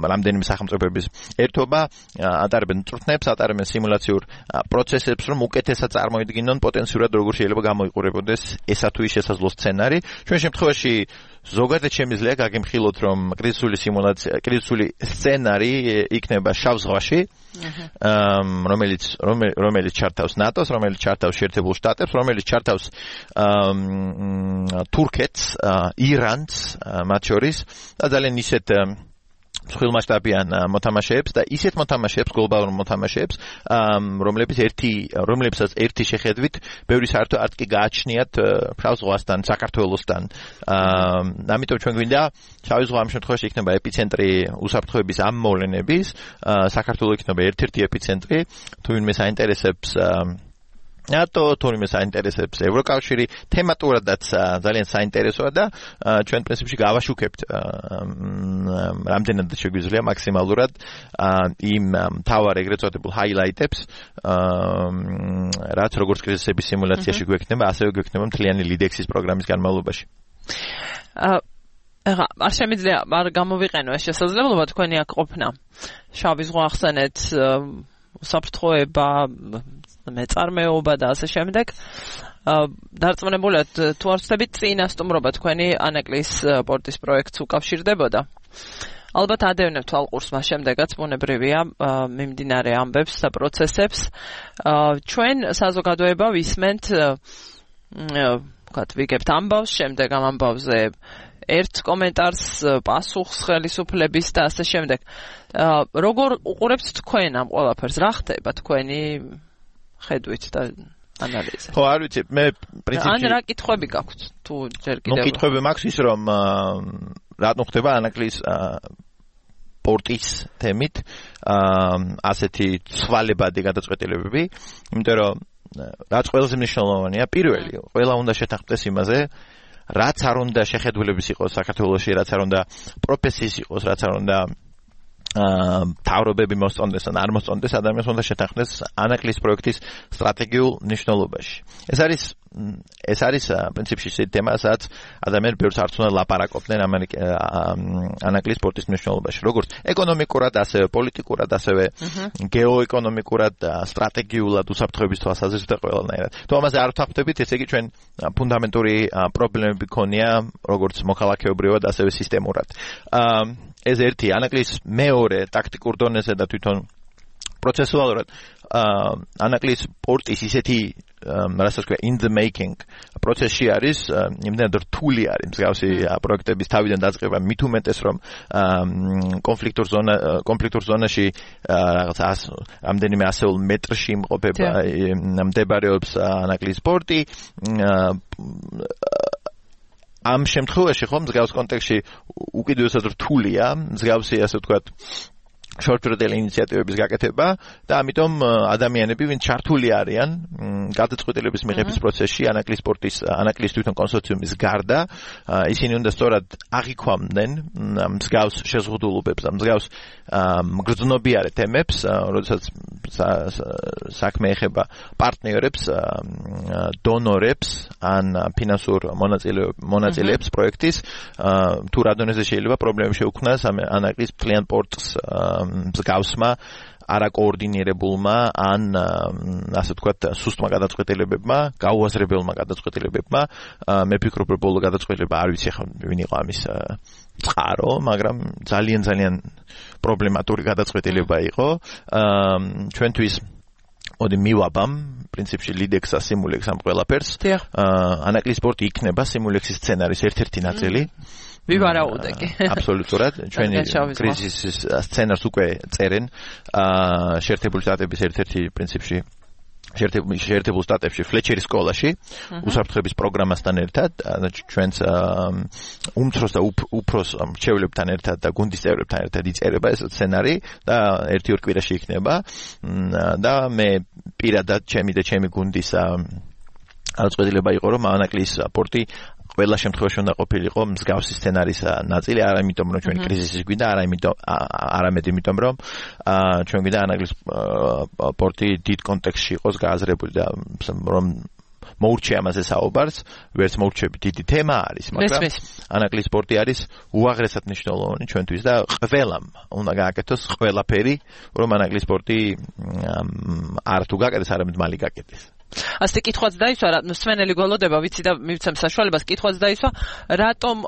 რამდენიმე სახელმწიფოების ერთობა ატარებენ წვრთნებს, ატარებენ სიმულაციურ პროცესებს, რომ უკეთესად წარმოიდგინონ პოტენციურად როგორ შეიძლება გამოიყურებოდეს ესა თუ ის შესაძლო სცენარი. ჩვენ შემთხვევაში ზოგადად შემიძლია გაგემხილოთ რომ კრიზისული სცენარი იქნება შავ ზღვაში, რომელიც ჩართავს ნატოს, რომელიც ჩართავს შეერთებულ შტატებს, რომელიც ჩართავს თურქეთს, ირანს მათ შორის და ძალიან ისეთ მსხვილმასშტაბიან მოთამაშეებს და ისეთ მოთამაშეებს, გლობალურ მოთამაშეებს, რომლებსაც ერთი შეხედვით ბევრი საერთო არტკი გააჩნიათ შავ ზღვასთან, საქართველოსთან. ამიტომ ჩვენ გვინდა შავი ზღვა ამ შემთხვევაში იქნება ეპიცენტრი უსაფრთხოების ამ მოვლენების, საქართველოს იქნება ერთ-ერთი ეპიცენტრი, თუ ვინმე საინტერესებს ნატო, თურმე საინტერესებს ევროკავშირი, თემატურადაც ძალიან საინტერესოა და ჩვენ პრინციპში გავაშუქებთ რამდენად შეგვიძლია მაქსიმალურად იმ მთავარ ეგრეთ წოდებულ ჰაილაიტებს, რაც როგორც კრიზისების სიმულაციაში გვექნება, ასევე გვექნება მთლიანი ლიდექსის პროგრამის განმავლობაში. არ შემიძლია არ გამოვიყენო ეს შესაძლებლობა თქვენი აქ ყოფნა. შავი ზღვა ახსენეთ, უსაფრთხოება, მეწარმეობა და ასე შემდეგ. დარწმუნებულად თუ არ ვცდებით წინასწუმრობა თქვენი ანაკლის პორტის პროექტს უკავშირდებოდა. ალბათ ადევნებთ ალყურს მას შემდეგაც ბუნებრივია მიმდინარე ამბებს და პროცესებს. ჩვენ საზოგადოება ვისმენთ ვიგებთ ამბავს, შემდეგ ამ ამბავზე ერთ კომენტარს, პასუხს ხელისუფლების და ასე შემდეგ. როგორ უყურებთ თქვენ ამ ყველაფერს? რა ხდება თქვენი ხედვით და ანალიზით? ხო, არ ვიცი, მე პრინციპში ან რა კითხვები გაქვთ თუ ჯერ კიდევ? კითხვები მაქვს ის რომ რატომ ხდება ანაკლის პორტის თემით ასეთი ცვალებადი გადაწყვეტილებები, იმიტომ რომ რაც ყველაზე მნიშვნელოვანია, პირველი, ყველა უნდა შეთანხმდეს იმაზე, რაც არ უნდა შეხედულების იყოს საქართველოში, რაც არ უნდა პროფესიის იყოს, რაც არ უნდა თავრობები მოსწონდეს ან არ მოსწონდეს, ადამიანს უნდა შეთანხმდეს ანაკლის პროექტის სტრატეგიულ მნიშვნელობაში. ეს არის პრინციპში ისეთი თემა, სადაც ადამიანები ბევრს არც უნდა ლაპარაკობდნენ ანაკლის სპორტის მნიშვნელობაში, როგორც ეკონომიკურად, ასევე პოლიტიკურად, ასევე გეოეკონომიკურად, სტრატეგიულად, უსაფრთხოების თვალსაზრისით და ყველანაირად. თუ ამაზე არ ვთანხმდებით, ესე იგი ჩვენ ფუნდამენტური პრობლემები გქონია, როგორც მოქალაქეობრივად, ასევე სისტემურად. ეს ერთი ანაკლის მეორე ტაქტიკურ დონეზე და თვითონ პროცესუალურად ანაკლის პორტის ისეთი რასაც ქვია in the making პროცესში არის, იმდენად რთული არის მსგავსი პროექტების თავიდან დაწყება, მით უმეტეს რომ კონფლიქტურ ზონაში რაღაცა რამდენიმე ასეულ მეტრში იმყოფება მდებარეობს ანაკლის პორტი. ამ შემთხვევაში ხომ მსგავს კონტექსტში უკიდურესად რთულია მსგავსი ასე ვთქვათ შორტ-ტერმ ინიციატივების გაკეთება და ამიტომ ადამიანები ვინც ჩართული არიან გადაწყვეტილების მიღების პროცესში ანაკლიის თვითონ კონსორციუმის გარდა ისინი უნდა სწორად აღიქვამდნენ მსგავს შეზღუდულობებს და მსგავს მგრძნობიარე თემებს როდესაც საქმე ეხება პარტნიორებს დონორებს ან ფინანსურ მონაწილეებს პროექტის თუ რა დონეზე შეიძლება პრობლემები შეუქმნას ანაკლიის კლient პორტს მსგავსმა არაკოორდინირებულმა ან ასე ვთქვათ სუსტმა გადაწყვეტილებებმა, გაუაზრებელმა გადაწყვეტილებებმა მე ვფიქრობ რომ ბოლო გადაწყვეტილება არ ვიცი ახლა ვინ იყო ამის წყარო, მაგრამ ძალიან პრობლემატური გადაწყვეტილება იყო ჩვენთვის მოდი მივაბამ პრინციპში ლიდექსა სიმულექს ამ ყველაფერს ანაკლიის პორტი იქნება სიმულექსის სცენარის ერთ-ერთი ნაწილი ვივარაუდე. აბსოლუტურად ჩვენი კრიზისის სცენარს უკვე წერენ შეერთებული შტატების ერთ-ერთი პრინციპში შეერთებულ შტატებში ფლეჩერის სკოლაში უსაფრთხოების პროგრამასთან ერთად ჩვენს უმცროს და უფროს მრჩევლებთან ერთად და გუნდის წევრებთან ერთად იწერება ეს სცენარი და 1-2 კვირაში იქნება და მე პირადად ჩემი გუნდის გადაწყვეტილება იყო რომ ანაკლიის პორტი ყველა შემთხვევაში უნდა ყოფილიყო მსგავსი სცენარის ნაწილი, არა იმიტომ რომ ჩვენი კრიზისი გვინდა, არამედ იმიტომ რომ ჩვენ გვინდა ანაკლიის პორტი დიდ კონტექსტში იყოს გააზრებული და რომ მოურჩე ამაზე საუბარს, ვერც მოურჩები დიდი თემა არის, მაგრამ ანაკლიის პორტი არის უაღრესად მნიშვნელოვანი ჩვენთვის და ყველამ უნდა გააკეთოს ყველაფერი, რომ ანაკლიის პორტი არ თუ გაკეთდეს, არამედ მალე გაკეთდეს. ასე კითხვაც დაისვა, სვენელი გველოდება, ვიცი და მივცემ საშუალებას, კითხვაც დაისვა, რატომ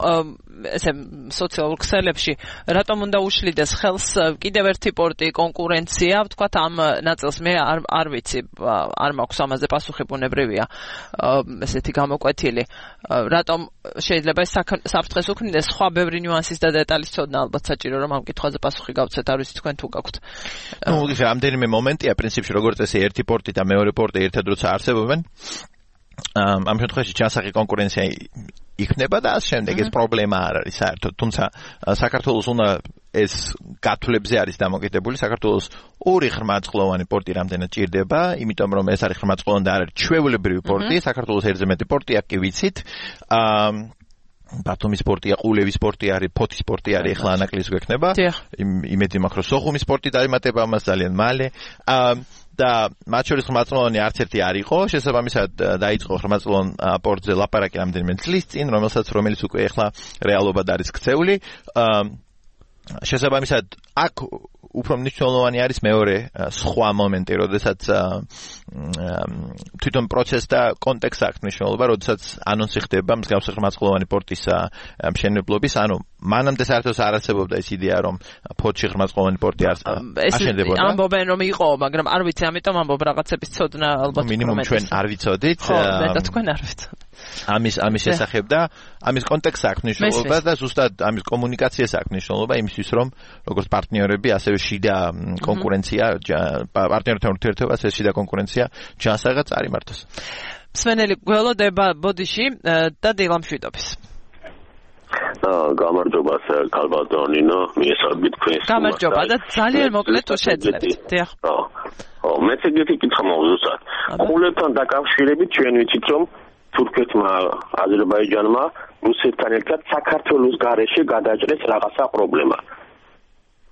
ესე სოციალურ ქსელებში, რატომ უნდა უშლიდეს ხელს კიდევ ერთი პორტი კონკურენცია, ვთქვათ ამ ნაწილს მე არ ვიცი, არ მაქვს ამაზე პასუხი ბუნებრივია, ესეთი გამოკვეთილი, რატომ შეიძლება ეს საფრთხეს უქმნიდეს, სხვა ბევრი ნიუანსის და დეტალის ცოდნა ალბათ საჭირო, რომ ამ კითხვაზე პასუხი გავცეთ, არ ვიცი თქვენ თუ გაქვთ. ნუ რამდენიმე მომენტია პრინციპში, როგორც წესი, ერთი პორტი და მეორე პორტი ერთად როცა არსებობენ ამ შემთხვევაში ჩასახი კონკურენცია იქნება და ამ შემდეგ ეს პრობლემა არ არის საერთოდ თუმცა საქართველოს უნდა ეს გათვლებზე არის დამოკიდებული საქართველოს ორი ხრმაწყლოვანი პორტი რამდენად ჭირდება იმიტომ რომ ეს არის ხრმაწყლოვანი და არ არის ჩვეულებრივი პორტი საქართველოს ერთზე მეტი პორტია კი ვიცით ბათუმის პორტია, ყულევის პორტი არის, ფოთის პორტი არის, ახლა ანაკლიის გვექნება. იმედი მაქვს, რომ სოხუმის პორტი დაემატება ამას ძალიან მალე. და მათ შორის ხრმაწყლოვანი არც ერთი არ იყო, შესაბამისად დაიწყო ხრმაწყლოვან პორტზე ლაპარაკი რამდენიმე წლის წინ, რომელიც უკვე ახლა რეალობად არის ქცეული. შესაბამისად აქ უფრო მნიშვნელოვანი არის მეორე სხვა მომენტი, როდესაც თვითონ პროცესს და კონტექსტს აქვს მნიშვნელობა, როდესაც ანონსი ხდება მსგავსი ხრმაწყლოვანი პორტის მშენებლობის, ანუ მანამდე საერთოდ არ არსებობდა ეს იდეა, რომ ფოთში ხრმაწყლოვანი პორტი აშენდებოდა. ეს ამბობენ რომ იყო, მაგრამ არ ვიცი, ამიტომ ამბობ რაღაცების ცოდნა ალბათ მინიმუმ ჩვენ არ ვიცოდით. მე და თქვენ არ ვიცოდით. ამის შესახებ და ამის კონტექსტს აქვს მნიშვნელობა და ზუსტად ამის კომუნიკაციას აქვს მნიშვნელობა იმისთვის, რომ როგორც პარტნიორები, ასევე შიდა კონკურენცია, პარტნიორთან ურთიერთობას ეს შიდა კონკურენცია ჯანსაღად წარიმართოს. სვენელი გველოდება ბოდიში და დილამშვიდობის. გამარჯობა კალბატონინო, მიესალმებით თქვენს. გამარჯობა და ძალიან მოკლედ თუ შეძლებთ. დიახ. მეც ეგეთი კითხვა მოგზუსტად. ყულებთან დაკავშირებით ჩვენ ვიცით რომ თურქეთმა, აზერბაიჯანმა რუსეთთან ერთად საქართველოს გარეშე გადაჭრეს რაღაცა პრობლემა.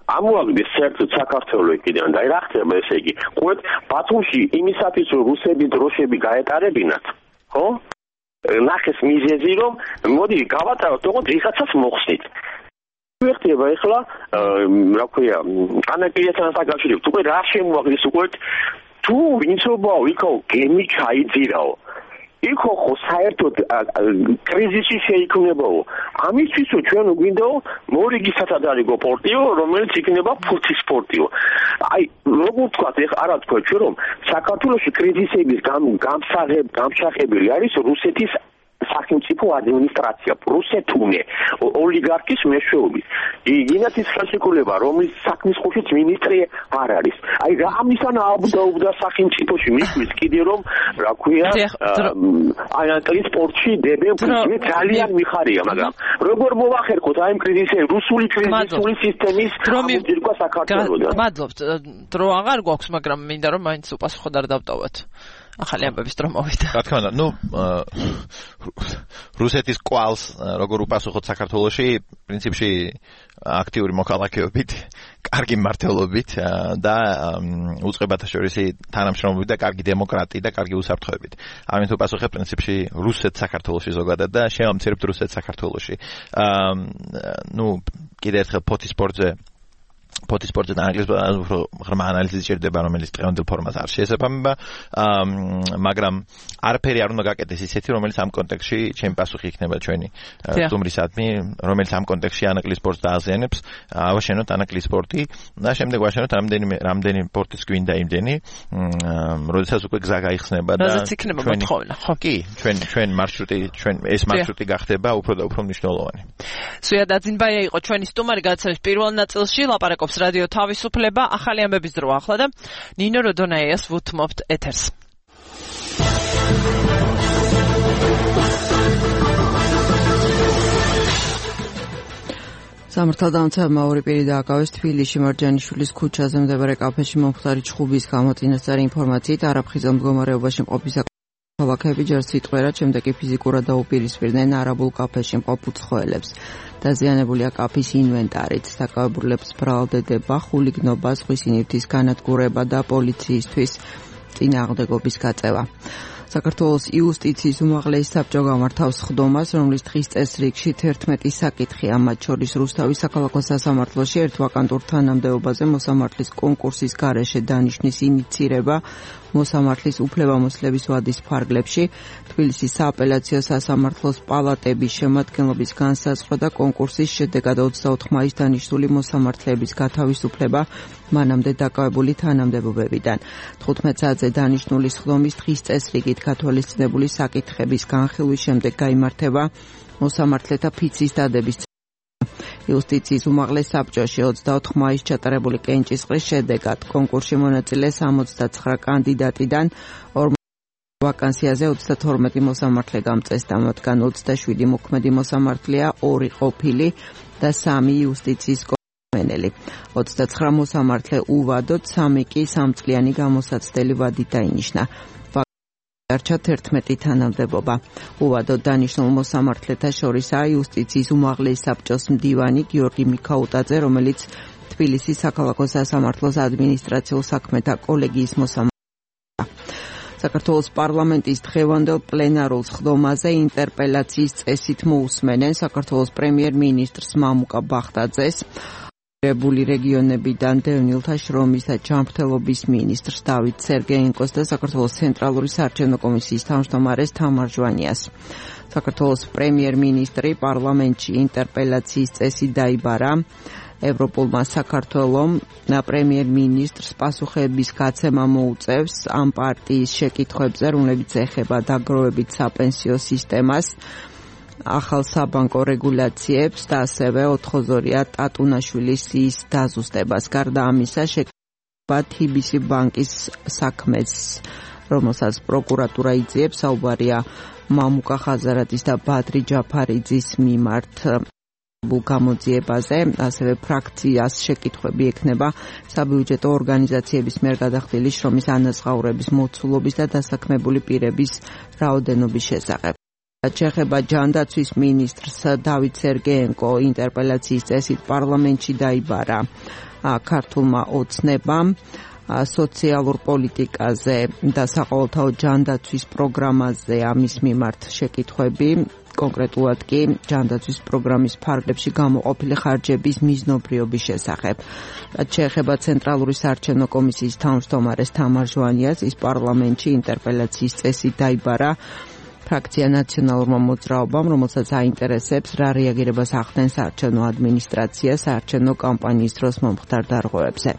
ამოაგდეს საერთოდ საქართველოს კიდევ და რა ხდება ესე იგი? ყურეთ, ბათუმში იმისათვის რომ რუსები დროშები გაეტარებინათ, ხო? ნახეს მიზეზი რომ მოდი გავატაროთ, თქო ვიღაცას მოხსნით. ვერტება ეხლა, რა ქვია, ანაკლიასთან დაკავშირებით, უკვე რა შემოაგდეს უკვე თუ ვინცობაო იქო გემი ჩაიძირაო. იქო ხო საერთოდ კრიზისი შეიქმნებაო. ამისთვის ჩვენ გვინდაო მორიგი სათადარიგო პორტიო, რომელიც იქნება ფოთის პორტიო. აი, როგორ ვთქვათ, ეხლა არა თქვა ჩვენ რომ საქართველოში კრიზისების გამსაღები არის რუსეთის სახელმწიფო ადმინისტრაცია რუსეთუნე ოლიგარქის მეშვეობით იქნებ ის ხელშეკრულება რომლის საქმის ხუთით მინისტრი არ არის აი რა ამისანა აბდაუბდა სახელმწიფოში მისთვის კიდე რომ რა ქვია აი ტრანსპორტში დებენ ძალიან მიხარია მაგრამ როგორ მოვახერხოთ აი კრიზისი რუსული კრიზისული სისტემის ამოძირკვა საქართველოსთან მადლობთ დრო აღარ გვაქვს მაგრამ მინდა რომ მაინც უპასუხოდ არ დავტოვოთ ახალი ამბების დრო მოვიდა. რა თქმა უნდა, რუსეთის კვალს როგორ უპასუხოთ საქართველოში, პრინციპში აქტიური მოქალაქეობით, კარგი მმართველობით და უწყებათა შორისი თანამშრომლობით და კარგი დემოკრატიით და კარგი უსაფრთხოებით. ამით უპასუხებ პრინციპში რუსეთს საქართველოში ზოგადად და შევამცირებთ რუსეთს საქართველოში. კიდე ერთხელ ფოთისპორტზე და ანგლისურად უფრო ღრმა ანალიზი სჭირდება, რომელიც დღევანდელ ფორმას არ შეესაბამება, მაგრამ არაფერი არ უნდა გაკეთდეს ისეთი, რომელიც ამ კონტექსტში ჩემი პასუხი იქნება ჩვენი სტუმრისადმი, რომელიც ამ კონტექსტში ანაკლის სპორტს დააზიანებს, ავაშენოთ ანაკლის სპორტი და შემდეგ ვაშენოთ რამდენი სპორტის გვინდა იმდენი, როდესაც უკვე გზა გაიხსნება და რაზეც იქნება მოთხოვნა, ხო? კი, ჩვენ მარშრუტი გახდება უფრო და უფრო მნიშვნელოვანი. სვია დაძინბაია იყო ჩვენი სტუმარი გადაცემის პირველ ნაწილში, ლაპარაკობს რადიო თავისუფლება, ახალი ამბების დრო ახლა და ნინო როდონაიას ვუთმობთ ეთერს. სამართალდამცავმა ორი პირი დააკავეს თბილისში მარჯანიშვილის ქუჩაზე მდებარე კაფეში მომხდარი ჩხუბის გამოცინასწარი ინფორმაციით არაფხიზელ მდგომარეობაში მყოფი ქალაქები ჯერ სიტყვერად, შემდეგ კი ფიზიკურად დაუპირისპირდნენ არაბულ კაფეში მყოფ უცხოელებს. დაზიანებულია კაფის ინვენტარიც, საკავებულებს ბრალდება, ხულიგნობა, ზღვის ინივთის განადგურება და პოლიციისთვის წინააღმდეგობის გაწევა. საქართველოს იუსტიციის უმაღლესი საბჭო გამართავს სხდომას, რომლის დღის წესრიგში 11 საკითხია, მათ შორის რუსთავის საქალაქო სასამართლოში ერთ ვაკანტურ თანამდებობაზე მოსამართლის კონკურსის გარეშე დანიშნის ინიცირება, მოსამართლის უფლებამოსილების ვადის ფარგლებში, თბილისის სააპელაციო სასამართლოს პალატების შემადგენლობის განსაზღვრა და კონკურსის შედეგად 24 მაისს დანიშნული მოსამართლეების გათავისუფლება მანამდე დაკავებული თანამდებობებიდან. 15 საათზე დანიშნული სხდომის დღის წესრიგით გათვალისწინებული საკითხების განხილვის შემდეგ გაიმართება მოსამართლეთა ფიცის დადების იუსტიციის უმაღლეს საბჭოში 24 მაისს ჩატარებული კენჭისყრის შედეგად კონკურსში მონაწილე 69 კანდიდატიდან 40 ვაკანსიაზე 32 მოსამართლე გამწესდა, მათგან 27 მოქმედი მოსამართლეა, 2 ყოფილი და 3 იუსტიციის კომენელი. 29 მოსამართლე უვადოდ, 3 კი 3 წლიანი გამოსაცდელი ვადით დაინიშნა. დარჩა 11 თანამდებობა. უვადოდ დანიშნულ მოსამართლეთა შორისაა იუსტიციის უმაღლეს საბჭოს მდივანი გიორგი მიქაუტაძე, რომელიც თბილისის საქალაქო სასამართლოს ადმინისტრაციულ საქმეთა კოლეგიის მოსამართლეა. საქართველოს პარლამენტის დღევანდელ პლენარულ სხდომაზე ინტერპელაციის წესით მოусმენენ საქართველოს პრემიერ-მინისტრს მამუკა ბახტაძეს, რეგიონებიდან დევნილთა შრომის და ჯანმრთელობის მინისტრს დავით სერგეენკოს და საქართველოს ცენტრალური საარჩევნო კომისიის თავმჯდომარეს თამარ ჟვანიას. საქართველოს პრემიერ-მინისტრი პარლამენტში ინტერპელაციის წესით დაიბარა. ევროპულმა საქართველომ პრემიერ-მინისტრს პასუხების გაცემა მოუწევს ამ პარტიის შეკითხვებზე, რომლებიც ეხება დაგროვებით საპენსიო სისტემას, ახალ საბანკო რეგულაციებს და ასევე ოთხოზორია ტატუნაშვილის ის დაზუსტებას. გარდა ამისა, შეკრება TBC ბანკის საქმეს, რომელსაც პროკურატურა იძიებს, საუბარია მამუკა ხაზარაძის და ბადრი ჯაფარიძის მიმართ გამოძიებაზე, ასევე ფრაქციას შეკითხვები ექნება საბიუჯეტო ორგანიზაციების მიერ გადახდილი შრომის ანაზღაურების მოცულობის და დასაქმებული პირების რაოდენობის შესახებ. ჩეხება ჯანდაცვის მინისტრს დავით სერგეენკო ინტერპელაციის წესით პარლამენტში დაიბარა ქართულმა ოცნებამ სოციალურ პოლიტიკაზე და საყოველთაო ჯანდაცვის პროგრამაზე ამის მიმართ შეკითხვები, კონკრეტულად კი ჯანდაცვის პროგრამის ფარგლებში გამოყოფილი ხარჯების მიზნობრიობის შესახებ. ჩეხება ცენტრალური საარჩევნო კომისიის თავმჯდომარეს თამარ ჟვანიას, ის პარლამენტში ინტერპელაციის წესით დაიბარა ფრაქცია ნაციონალურმა მოძრაობამ, რომელსაც აინტერესებს რა რეაგირებას ახდენს საარჩევნო ადმინისტრაცია საარჩევნო კამპანიის დროს მომხდარ დარღვევებზე.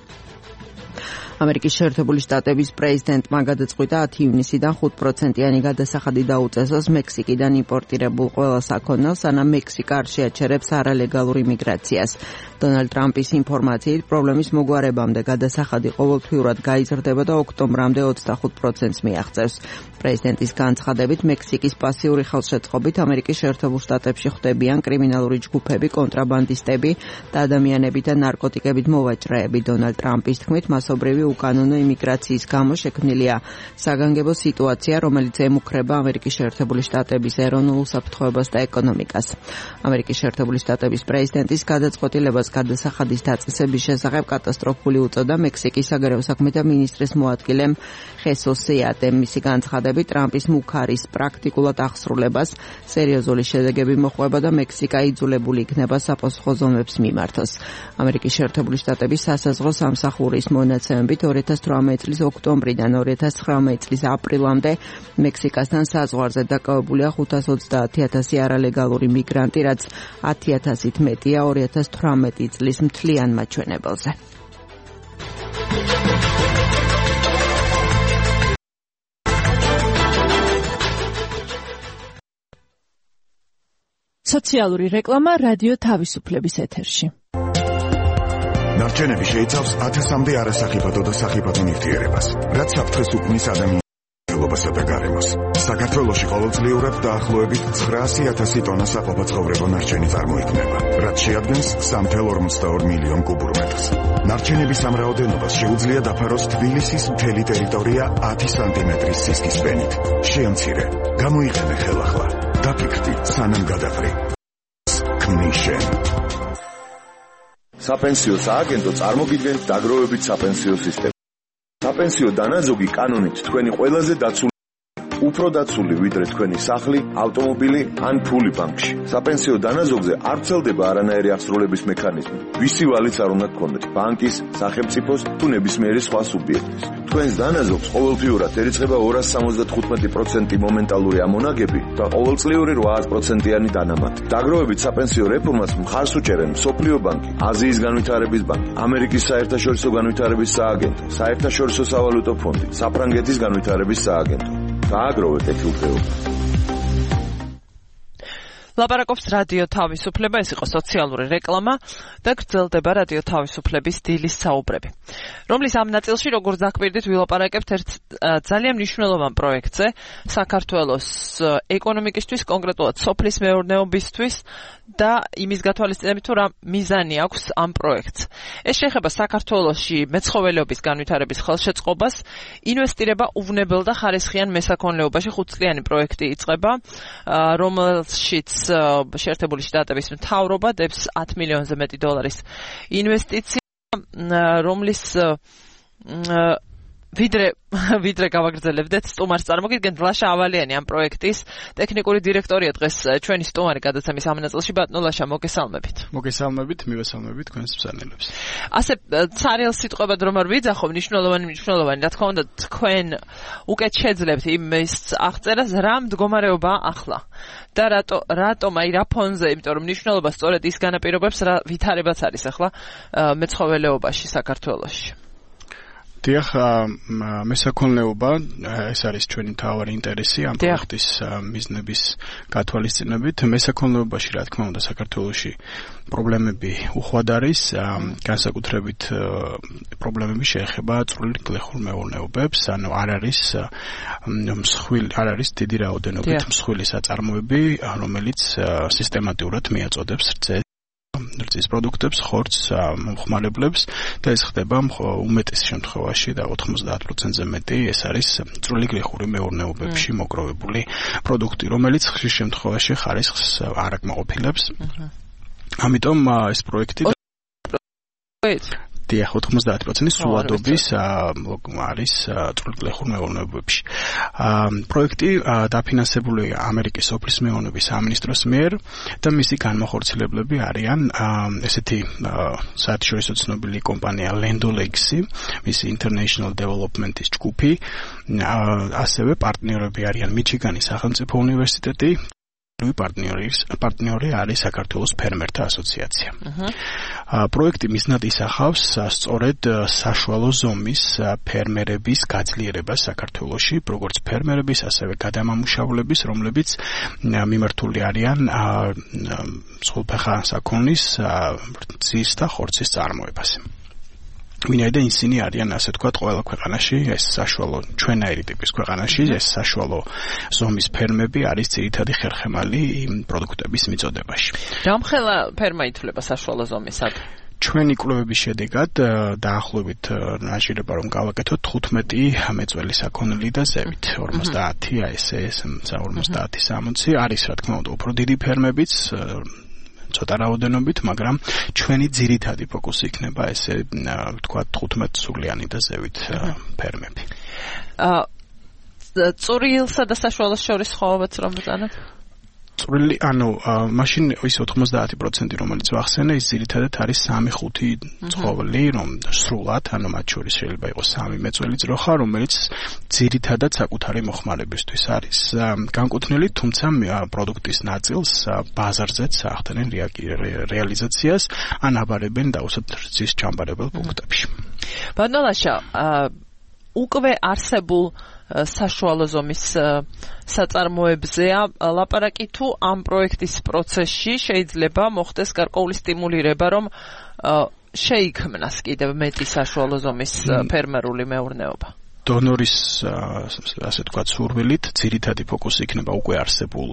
ამერიკის შეერთებული შტატების პრეზიდენტმა გადაწყვიტა 10 ივნისიდან 5%-იანი გადასახადი დაუწესოს მექსიკიდან იმპორტირებულ ყველა საქონელს, სანამ მექსიკა არ შეაჩერებს არალეგალურ იმიგრაციას. დონალდ ტრამპის ინფორმაციით, პრობლემის მოგვარებამდე გადასახადი ყოველთვიურად გაიზრდება და ოქტომბრამდე 25%-ს მიაღწევს. პრეზიდენტის განცხადებით, მექსიკის პასიური ხელშეწყობით ამერიკის შეერთებულ შტატებში ხვდებიან კრიმინალური ჯგუფები, კონტრაბანდისტები და ადამიანები და ნარკოტიკებით მოვაჭრეები. დონალდ ტრამპის თქმით, მასობრივი უკანონო იმიგრაციის გამო შექმნილია საგანგებო სიტუაცია, რომელიც ემუქრება ამერიკის შეერთებული შტატების ეროვნულ უსაფრთხოებას და ეკონომიკას. ამერიკის შეერთებული შტატების პრეზიდენტის გადაწყვეტილებას გადასახადის დაწესების შესახებ კატასტროფული უწოდა მექსიკის საგარეო საქმეთა მინისტრის მოადგილემ ხესოს სეატემ. მისი განცხადებით, ტრამპის მუქარის პრაქტიკულად აღსრულებას სერიოზული შედეგები მოჰყვება და მექსიკა იძულებული იქნება საპასუხო ზომებს მიმართოს. ამერიკის შეერთებული შტატების სასაზღვრო სამსახურის მონაცემებით 2018 წლის ოქტომბრიდან 2019 წლის აპრილამდე მექსიკასთან საზღვარზე დაკავებულია 530,000 არალეგალური მიგრანტი, რაც 10,000-ით მეტია 2018 წლის მთლიან მაჩვენებელზე. სოციალური რეკლამა რადიო თავისუფლების ეთერში. ნარჩენები შეიცავს 1000-მდე არასახიფათო და სახიფათო ნივთიერებას, რაც საფრთხეს უქმნის ადამიანებასა და გარემოს. საქართველოში ყოველწლიურად დაახლოებით 900,000 ტონა საყოფაცხოვრებო ნარჩენი წარმოიქმნება, რაც შეადგენს 3,42 მილიონ კუბურ მეტრს. ნარჩენების ამ რაოდენობას შეუძლია დაფაროს თბილისის მთელი ტერიტორია 10 სანტიმეტრის სისქის ფენით. შეამცირე, გამოიყენე ხელახლა. დაფიქრდი, სანამ გადაყრი. ქმნიშენ. საპენსიო სააგენტო წარმოგიდგენთ დაგროვებით საპენსიო სისტემას. საპენსიო დანაზოგი კანონით თქვენი ყველაზე დაცული, უფრო დაცული ვიდრე თქვენი სახლი, ავტომობილი ან ფული ბანკში. საპენსიო დანაზოგზე არ ვრცელდება არანაირი აღსრულების მექანიზმი. ვისი ვალიც არ უნდა გქონდეთ, ბანკის, სახელმწიფოს თუ ნებისმიერი სხვა სუბიექტის. თქვენს დანაზოგს ყოველთვიურად ერიცხება 275% მომენტალური ამონაგები და ყოველწლიური 8%-იანი დანამატი. დაგროვებით საპენსიო რეფორმას მხარს უჭერენ მსოფლიო ბანკი, აზიის განვითარების ბანკი, ამერიკის საერთაშორისო განვითარების სააგენტო, საერთაშორისო სავალუტო ფონდი, საფრანგეთის განვითარების სააგენტო. დააგროვეთ ეთილფეობა. ლაპარაკობს რადიო თავისუფლება, ეს იყო სოციალური რეკლამა და გრძელდება რადიო თავისუფლების დილის საუბრები, რომლის ამ ნაწილში, როგორც დაკვირდით, ვილაპარაკებთ ერთ ძალიან მნიშვნელოვან პროექტზე საქართველოს ეკონომიკისთვის, კონკრეტულად სოფლის მეურნეობისთვის და იმის გათვალისწინებით, თუ რა მიზანი აქვს ამ პროექტს. ეს შეეხება საქართველოში მეცხოველეობის განვითარების ხელშეწყობას, ინვესტირება უვნებელ და ხარისხიან მესაქონლეობაში 5 წლიანი პროექტი იწყება, რომელშიც შეერთებული შტატების მთავრობა დებს 10 მილიონზე მეტი დოლარის ინვესტიცია, რომლის ვიდრე გავაგრძელებდეთ სტუმარს წარმოგიდგენთ ლაშა ავალიანი ამ პროექტის ტექნიკური დირექტორია დღეს ჩვენი სტუმარი გადაცემის ამ ნაწილში. ბატონო ლაშა, მოგესალმებით. მოგესალმებით, მივესალმებით თქვენს მსმენელებს. ასე ცარიელ სიტყვებად რომ არ ვიძახო, მნიშვნელოვანი, რა თქმა უნდა, თქვენ უკეთ შეძლებთ იმის აღწერას, რა მდგომარეობაა ახლა და რატომ აი რა ფონზე, იმიტომ რომ მნიშვნელობა სწორედ ის განაპირობებს, რა ვითარებაც არის ახლა მეცხოველეობაში საქართველოში. დიახ, მესაქონლეობა ეს არის ჩვენი მთავარი ინტერესი ამ პროექტის მიზნების გათვალისწინებით. მესაქონლეობაში, რა თქმა უნდა, საქართველოში პრობლემები უხვად არის, განსაკუთრებით პრობლემები შეეხება წვრილი გლეხურ მეურნეობებს, ანუ არ არის დიდი რაოდენობით მსხვილი საწარმოები, რომელიც სისტემატურად მიაწოდებს რძის პროდუქტებს, ხორცს, მომხმარებლებს და ეს ხდება უმეტეს შემთხვევაში და 90%-ზე მეტი ეს არის წვრილი გლეხური მეურნეობებში მოგროვებული პროდუქტი, რომელიც ხშირ შემთხვევაში ხარისხს არ აკმაყოფილებს. ამიტომ ეს პროექტი დიახ, 90% სულადობის არის წვრილი გლეხურ მეურნეობებში. პროექტი დაფინანსებულია ამერიკის სოფლის მეურნეობის სამინისტროს მიერ და მისი განმახორციელებლები არიან ესეთი საერთაშორისო ცნობილი კომპანია Land O'Lakes, მისი International Development-ის ჯგუფი, ასევე პარტნიორები არიან მიჩიგანის სახელმწიფო უნივერსიტეტი, პარტნიორი არის საქართველოს ფერმერთა ასოციაცია. პროექტი მიზნად ისახავს სწორედ საშუალო ზომის ფერმერების გაძლიერებას საქართველოში, როგორც ფერმერების, ასევე გადამამუშავლების, რომლებიც მიმართული არიან სრულფეხა საქონლის ძის და ხორცის წარმოებაზე. ვინაიდან ისინი არიან ასე ვთქვათ ყველა ქვეყანაში ეს საშუალო ჩვენაირი ტიპის ქვეყანაში ეს საშუალო ზომის ფერმები არის ძირითადი ხერხემალი იმ პროდუქტების მიწოდებაში. რამხელა ფერმა ითვლება საშუალო ზომისად? ჩვენი კვლევების შედეგად დაახლოებით ნაჟირება რომ გავაკეთოთ 15 მეწველი საქონელი და ზევით 50 ASS 50-60 არის რა თქმა უნდა უფრო დიდი ფერმებიც ცოტა რაოდენობით, მაგრამ ჩვენი ძირითადი ფოკუსი იქნება ესე ვთქვათ 15 სულიანი და ზევით ფერმები. წვრილსა და საშუალოს შორის ხოვებაც რომ ბრძანოთ? წვრილი, მაშინ ის 90% რომელიც ვახსენე, ის ძირითადად არის 3-5 ცხოველი, რომ სრულად, მათ შორის შეიძლება იყოს 3 მეწველი ძროხა, რომელიც ძირითადად საკუთარი მოხმარებისთვის არის განკუთვნილი, თუმცა პროდუქტის ნაწილს ბაზარზეც ახდენენ რეალიზაციას, ან აბარებენ დაუშვათ რძის ჩამბარებელ პუნქტებში. ბატონაშა, უკვე არსებულ საშუალო ზომის საწარმოებზეა ლაპარაკი თუ ამ პროექტის პროცესში შეიძლება მოხდეს გარკვეული სტიმულირება, რომ შეიქმნას კიდევ მეტი საშუალო ზომის ფერმერული მეურნეობა? დონორის ასე ვთქვათ სურვილით ძირითადი ფოკუსი იქნება უკვე არსებულ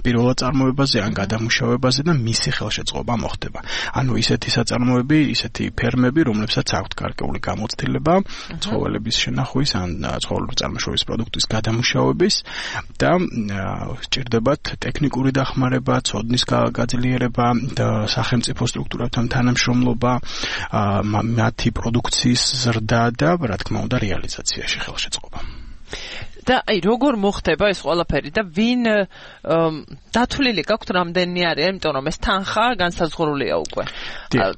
პირველად წარმოებაზე ან გადამუშავებაზე და მისი ხელშეწყობა მოხდება. ანუ ისეთი საწარმოები, ისეთი ფერმები, რომლებსაც აქვთ გარკვეული გამოცდილება ცხოველების შენახვის ან ცხოველური წარმოშობის პროდუქტის გადამუშავების და სჭირდებათ ტექნიკური დახმარება, ცოდნის გაძლიერება და სახელმწიფო სტრუქტურებთან თანამშრომლობა, მათი პროდუქციის ზრდა და რა თქმა უნდა რეალიზაციაში ხელშეწყობა. და როგორ მოხდება ეს ყველაფერი და ვინ დათვლილი გაქვთ რამდენი არის, იმიტომ რომ ეს თანხა განსაზღვრულია უკვე.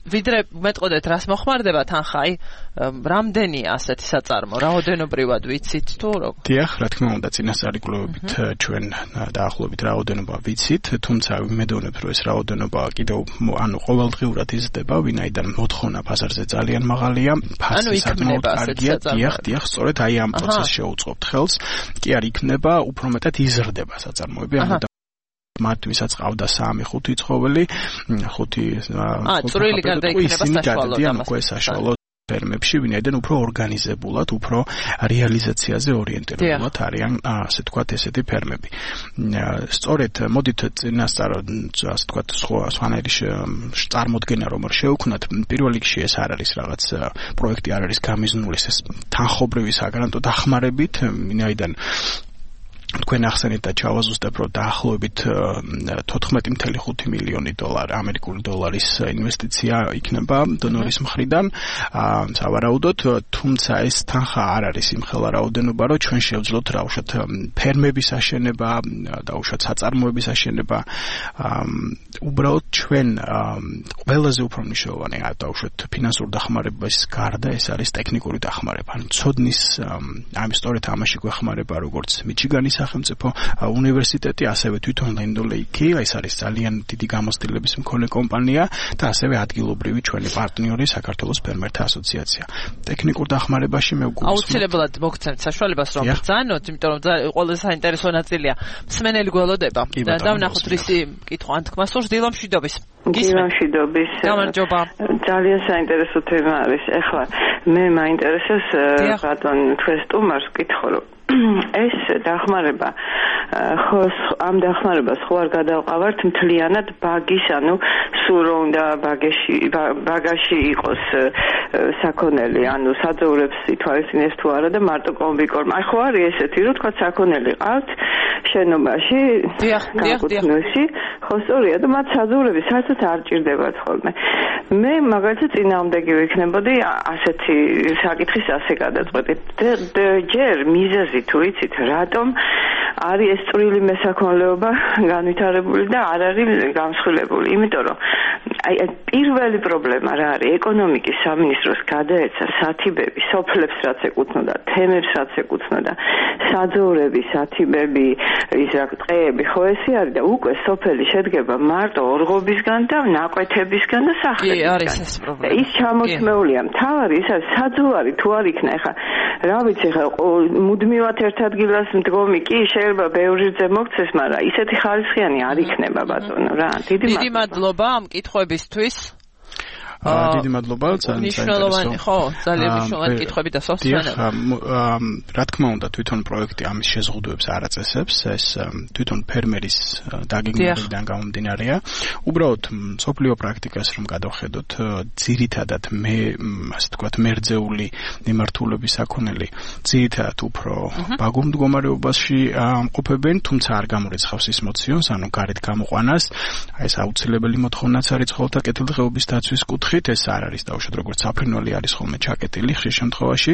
ვიდრე მეტყოდეთ რას მოხმარდება თანხა, რამდენია ასეთი საწარმო, რაოდენობრივად ვიცით თუ როგორ? დიახ, რა თქმა უნდა, წინასწარი კვლევებით ჩვენ დაახლოებით რაოდენობა ვიცით, თუმცა ვიმედოვნებ, რომ ეს რაოდენობა კიდევ ყოველდღიურად იზრდება, ვინაიდან მოთხოვნა ბაზარზე ძალიან მაღალია, ფასი საკმაოდ კარგია. დიახ, სწორედ აი ამ პროცესს შეუწყობთ ხელს. კი არ იქნება, უფრო მეტად იზრდება საწარმოები, მათ ვისაც ყავდა 3-5 ცხოველი, 5 წვრილი გარდაიქმნება საშუალო ფერმებში, ვინაიდან უფრო ორგანიზებულად, უფრო რეალიზაციაზე ორიენტირებულად არიან, ასე ვთქვათ, ესეთი ფერმები. სწორედ, მოდით წინასწარ, ასე ვთქვათ, სხვანაირი წარმოდგენა რომ შევქნათ, პირველ რიგში ეს არ არის რაღაც პროექტი არ არის გამიზნული ეს თანხობრივი საგრანტო დახმარებით, ვინაიდან თქვენ ახსენეთ და ჩავაზუსტებ, რომ დაახლოებით 14.5 მილიონი ამერიკული დოლარის ინვესტიცია იქნება დონორის მხრიდან, სავარაუდოდ, თუმცა ეს თანხა არ არის იმხელა რაოდენობა, რომ ჩვენ შევძლოთ დაუშვათ ფერმების აშენება, დაუშვათ საწარმოების აშენება, უბრალოდ ჩვენ ყველაზე უფრო მნიშვნელოვანი დაუშვათ ფინანსური დახმარების გარდა ეს არის ტექნიკური დახმარება. ცოდნის სწორედ ამაში გვეხმარება როგორც მიჩიგანის სახელმწიფო უნივერსიტეტი, ასევე თვითონ Land O'Lakes, ეს არის ძალიან დიდი გამოცდილების მქონე კომპანია და ასევე ადგილობრივი ჩვენი პარტნიორი საქართველოს ფერმერთა ასოციაცია. ტექნიკურ დახმარებაში მე ვგულისხმობ. აუცილებლად მოგცემთ საშუალებას რომ ბრძანოთ, იმიტომ რომ ყველაზე საინტერესო ნაწილია მსმენელი გველოდება და დავნახოთ რისი კითხვა ან თქმა სურს დილომშვიდობის. დილომშვიდობის. გამარჯობა. ძალიან საინტერესო თემა არის. ეხლა მე მაინტერესებს ბატონ თქვენ სტუმარს კითხო რომ ეს დახმარება ამ დახმარებას ხო არ გადავყავართ მთლიანად ბაგის, ანუ სულ რომ უნდა ბაგაში იყოს საქონელი, ანუ საძოვრებს ითვალისწინებს თუ არა და მარტო კომბიკორმა. აი ხო არის ესეთი, რომ თქვა საქონელი ყავთ შენობაში, განკუთვნილში, ხო სწორია და მათ საძოვრები საერთოდ არ ჭირდებათ ხოლმე. მე მაგალითად წინააღმდეგი ვიქნებოდი ასეთი საკითხის ასე გადაწყვეტით. ჯერ მიზეზი მიზეზი თუ იცით, რატომ არის ეს წვრილი მესაქონლეობა განვითარებული და არ არის გამსხვილებული. იმიტომ რომ აი პირველი პრობლემა რა არის? ეკონომიკის სამინისტროს გადაეცა სათიბები, სოფლებს რაც ეკუთვნოდა, თემებს რაც ეკუთვნოდა, საძოვრები, სათიბები, ის რა ტყეები, ხო ესე არის და უკვე სოფელი შედგება მარტო ორღობისგან და ნაკვეთებისგან და სახლებისგან. კი, არის ეს პრობლემა. ის ჩამოთმეულია. მთავარი ის არის საძოვარი თუ არ იქნა ეხა რა ვიცი ხა მუდმივად ერთ ადგილას მდგომი კი შეიძლება ბევრი რძე მოქცეს, მაგრამ ისეთი ხარისხიანი არ იქნება ბატონო რა. დიდი მადლობა ამ კითხვებისთვის. დიდი მადლობა, ძალიან მნიშვნელოვანი, ხო, ძალიან მნიშვნელოვანი კითხვები და სოციალურად. რა თქმა უნდა, თვითონ პროექტი ამის შეზღუდვებს არ აწესებს, ეს თვითონ ფერმერის დაგეგმებიდან გამომდინარეა. უბრალოდ სოფლიო პრაქტიკას რომ გადავხედოთ, ძირითადად ასე ვთქვათ, მერძეული მიმართულების საქონელი ძირითადად უფრო ბაგურ მდგომარეობაში ამყოფებენ, თუმცა არ გამორიცხავს ის მოციონს, ანუ გარეთ გამოყვანას, აი ეს აუცილებელი მოთხოვნაც არის ცხოველთა კეთილდღეობის დაცვის კუთხით. ეს არ არის დაუშვათ როგორც საფრინველი არის ხოლმე ჩაკეტილი ხშირ შემთხვევაში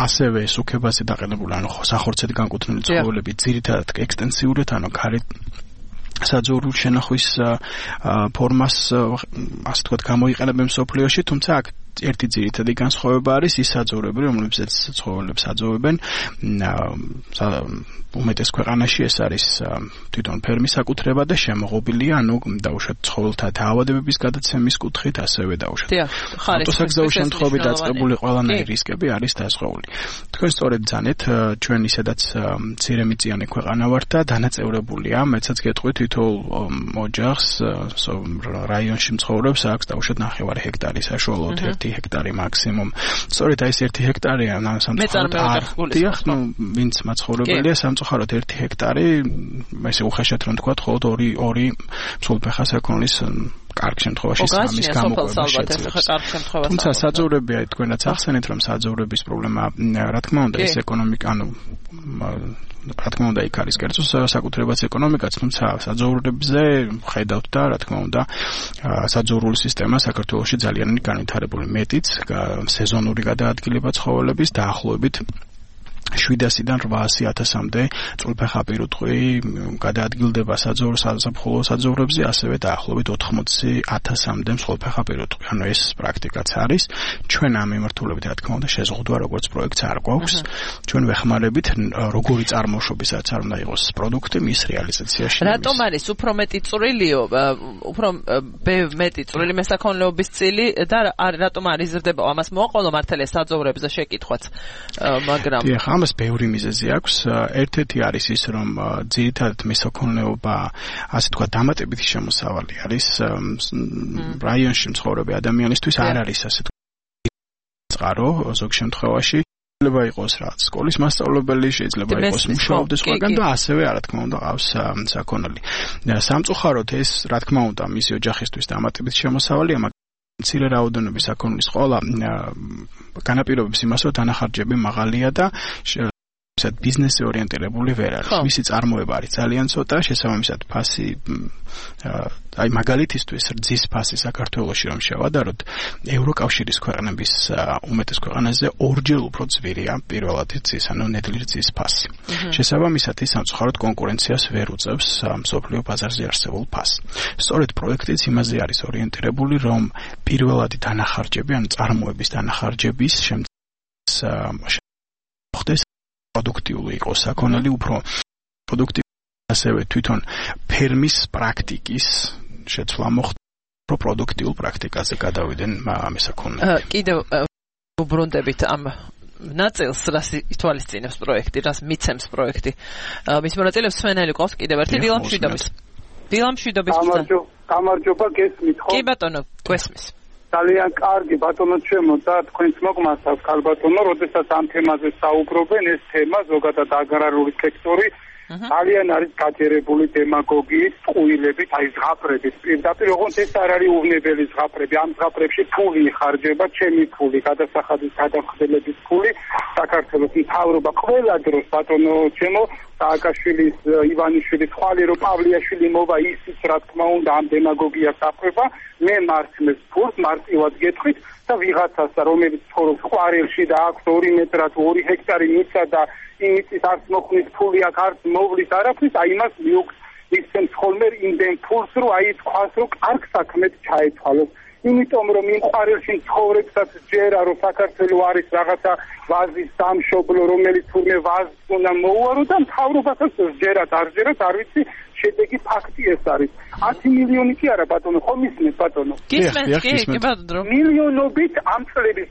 ასევე სუქებაზე დაყენებული ანუ სახორცედ განკუთვნილი ცხოველები ძირითადად ექსტენსიურად ანუ გარეთ საძოვრულ შენახვის ფორმას ასე ვთქვათ გამოიყენებენ მსოფლიოში თუმცა აქ ერთი ძირითადი განსხვავება არის ის საძოვრები რომლებსაც ცხოველებს აძოვებენ უმეტეს ქვეყანაში ეს არის თვითონ ფერმის საკუთრება და შემოღობილია ანუ დაუშვათ ცხოველთა დაავადებების გადაცემის კუთხით ასევე დაუშვათ ავტოსაგზაო შემთხვევებით დაწყებული ყველანაირი რისკები არის დასხეული თქვენ სწორედ ძანეთ ჩვენ ისედაც მცირემიწიანი ქვეყანა ვართ და დანაწევრებულია მეცაც გეტყვით თითოეულ ოჯახს რაიონში მცხოვრებს აქვს დაუშვათ 9 ჰექტარი საშუალოდ 1 ჰექტარი მაქსიმუმ. სწორედ აი ეს 1 ჰექტარია სამწუხაროდ ვინც მაცხოვრებელია სამწუხაროდ 1 ჰექტარი ესე უხეშად რომ თქვა მხოლოდ 2 მსხვილფეხა საქონლის კარგ შემთხვევაში სამის გამოყვება შეიძლება. თუმცა საძოვრები აი თქვენაც ახსენეთ რომ საძოვრების პრობლემა რა თქმა უნდა ეს ეკონომიკა ანუ რა თქმა უნდა იქ არის კერძო საკუთრებაც ეკონომიკაც თუმცა საძოვრებზე ხედავთ და რა თქმა უნდა საძოვრული სისტემა საქართველოში ძალიან განვითარებული მეტიც სეზონური გადაადგილება ცხოველების დაახლოებით 700-დან 800,000-მდე წვრილფეხა პირუტყვი გადაადგილდება საზაფხულო საძოვრებზე, ასევე დაახლოებით 80,000-მდე მსხვილფეხა პირუტყვი. ანუ ეს პრაქტიკაც არის. ჩვენ ამ მიმართულებით რა თქმა უნდა შეზღუდვა როგორც პროექტს არ გვაქვს. ჩვენ ვეხმარებით როგორი წარმოშობისაც არ უნდა იყოს პროდუქტი მის რეალიზაციაში. რატომ არის უფრო მეტი წვრილიო, უფრო მეტი წვრილი მესაქონლეობის წილი და რატომ არ იზრდება? ამას მოაყოლო მართალია საძოვრებზე შეკითხვაც, მაგრამ ამას ბევრი მიზეზი აქვს. ერთ-ერთი არის ის, რომ ძირითადად მესაქონლეობა, ასე თქვა, დამატებითი შემოსავალი არის რაიონში მცხოვრები ადამიანისთვის არ არის ასე თქვა წყარო ზოგ შემთხვევაში. შეიძლება იყოს რაც სკოლის მასწავლებელი, შეიძლება იყოს მუშაობდეს ყველგან და ასევე რა თქმა უნდა ყავს საქონელი. სამწუხაროდ ეს რა თქმა უნდა მისი ოჯახისთვის დამატებითი შემოსავალია, მცირე რაოდენობის საქონლის ყოლა განაპირობებს იმას, რომ დანახარჯები მაღალია და ბიზნესზე ორიენტირებული ვერ არის. მისი წარმოება არის ძალიან ცოტა, შესაბამისად ფასი აი მაგალითისთვის რძის ფასი საქართველოში რომ შევადაროთ, ევროკავშირის ქვეყნების უმეტეს ქვეყანაზე ორჯერ უფრო ძვირია პირველად რძის, ანუ ნედლი რძის ფასი. შესაბამისად ის სამწუხაროდ კონკურენციას ვერ უწევს მსოფლიო ბაზარზე არსებულ ფასს. სწორედ პროექტიც იმაზე არის ორიენტირებული, რომ პირველადი დანახარჯები, ანუ წარმოების დანახარჯების ხდეს პროდუქტიული იყოს საქონელი უფრო პროდუქტი ასევე თვითონ ფერმის პრაქტიკის შეცვლა მოხდა უფრო პროდუქტიულ პრაქტიკაზე გადავიდნენ მესაქონლეები. კიდევ უბრუნდებით ამ ნაწილს რას ითვალისწინებს პროექტი, რას მიცემს პროექტი. მის მონაწილეებს სვენელი ყავს კიდევ ერთი დილამშვიდობის. გამარჯობა გესმით ხო? კი ბატონო, გვესმის. ძალიან კარგი ბატონო ჩემო და თქვენს მოგმართავს ქალბატონო, როდესაც ამ თემაზე საუბრობენ, ეს თემა ზოგადად აგრარული სექტორი ძალიან არის გაჯერებული დემაგოგიით, წყვილებით, აი ზღაპრებით. პირდაპირ ოღონდ ეს არ არის უვნებელი ზღაპრები. ამ ზღაპრებში ფული იხარჯება, ჩემი ფული, გადასახადის გადამხდელების ფული, საქართველოს მთავრობა ყველა დროს ბატონო ჩემო სააკაშვილის, ივანიშვილის, ხვალერო პავლიაშვილი მოვა ისიც რა თქმა უნდა ამ დემაგოგიას აფრება, მე მართლებს ფულს მარტივად გეტყვით და ვიღაცას რომელიც ცხოვრობს ყვარელში და აქვს 2 მეტრად 2 ჰექტარი მიწა და იმის არც მოხნის ფული აქ არც მოვლის არაფრის, აი იმას მიუქს ისცემს ხოლმე იმდენ ფულს, რომ აი თქვას, რომ კარგ საქმედ ჩაეცვალოს. იმიტომ რომ იმ ყვარელში ცხოვრებსაც ჯერა, რომ საქართველოს არის რაღაცა ვაზის სამშობლო, რომელიც თურმე ვაზს უნდა მოუარო და მთავრობასაც ჯერათ არ ჯერათ, არ ვიცი, შედეგი ფაქტი ეს არის. 10 მილიონი კი არა ბატონო, ხომ ისმენთ ბატონო? გისმენთ, კი ბატონო. მილიონობით ამ წლების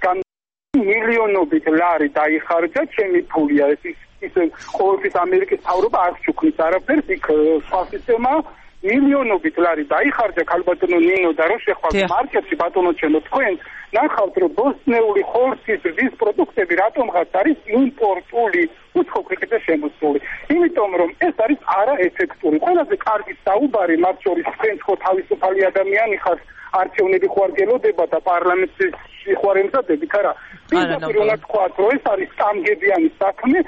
მილიონობით ლარი დაიხარჯა, ჩემი ფულია ეს ის ყოველთვის ამერიკის მთავრობა არ ჩუქნის არაფერს, იქ სხვა სისტემაა. მილიონობით ლარი დაიხარჯა ქალბატონო ნინო და რო შეხვალ მარკეტში ბატონო ჩემო თქვენ ნახავთ რომ ბოსტნეული ხორცის ვის პროდუქტები რატომღაც არის იმპორტული უცხო ქვეყნიდან შემოსული. იმიტომ რომ ეს არის არაეფექტური. ყველაზე კარგი საუბარი მათ შორის თქვენ ხო თავისუფალი ადამიანი ხართ, არჩევნები ხო არ გელოდება და პარლამენტში ხო არ ემზადებით, არა. პირდაპირ უნდა თქვათ რომ ეს არის სტამგებიანი საქმე.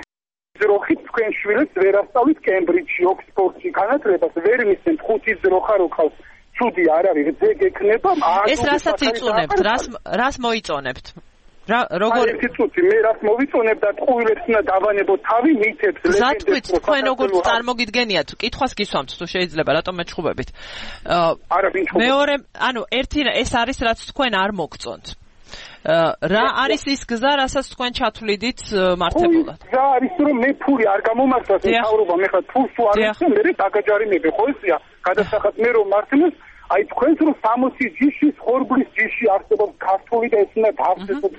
ძროხით თქვენ შვილებს ვერ ასწავლით კემბრიჯში, ოქსფორდში განათლებას ვერ მისცემთ 5 ძროხა როქავს. ცუდი არ არის, ძე გექნება. ეს რასაც იწუნებთ, რას მოიწონებთ? როგორ ერთი წუთი მე რას მოვიწონებ და ტყუილებს უნდა დავანებოთ თავი მითებს ლეგენდებს. ზატყვით თქვენ როგორც წარმოგიდგენიათ, კითხვას გისვამთ თუ შეიძლება, რატომ მეჩხუბებით? არა, ვინ ჩხუბობს? მეორე, ანუ ერთი ეს არის რაც თქვენ არ მოგწონთ. რა არის ის გზა, რასაც თქვენ ჩათვლიდით მართებულად? გზა არის რომ მე ფული არ გამომართვას მთავრობა, მე ხა ფულს თუ არ ვიცი, მე დაგაჯარიმები ხო ესია, გადასახად მე რომ მართლებს აი თქვენს რომ 60 ჯიშის ხორბლის ჯიში არსებობს ქართული და ეს უნდა დავწესოთ.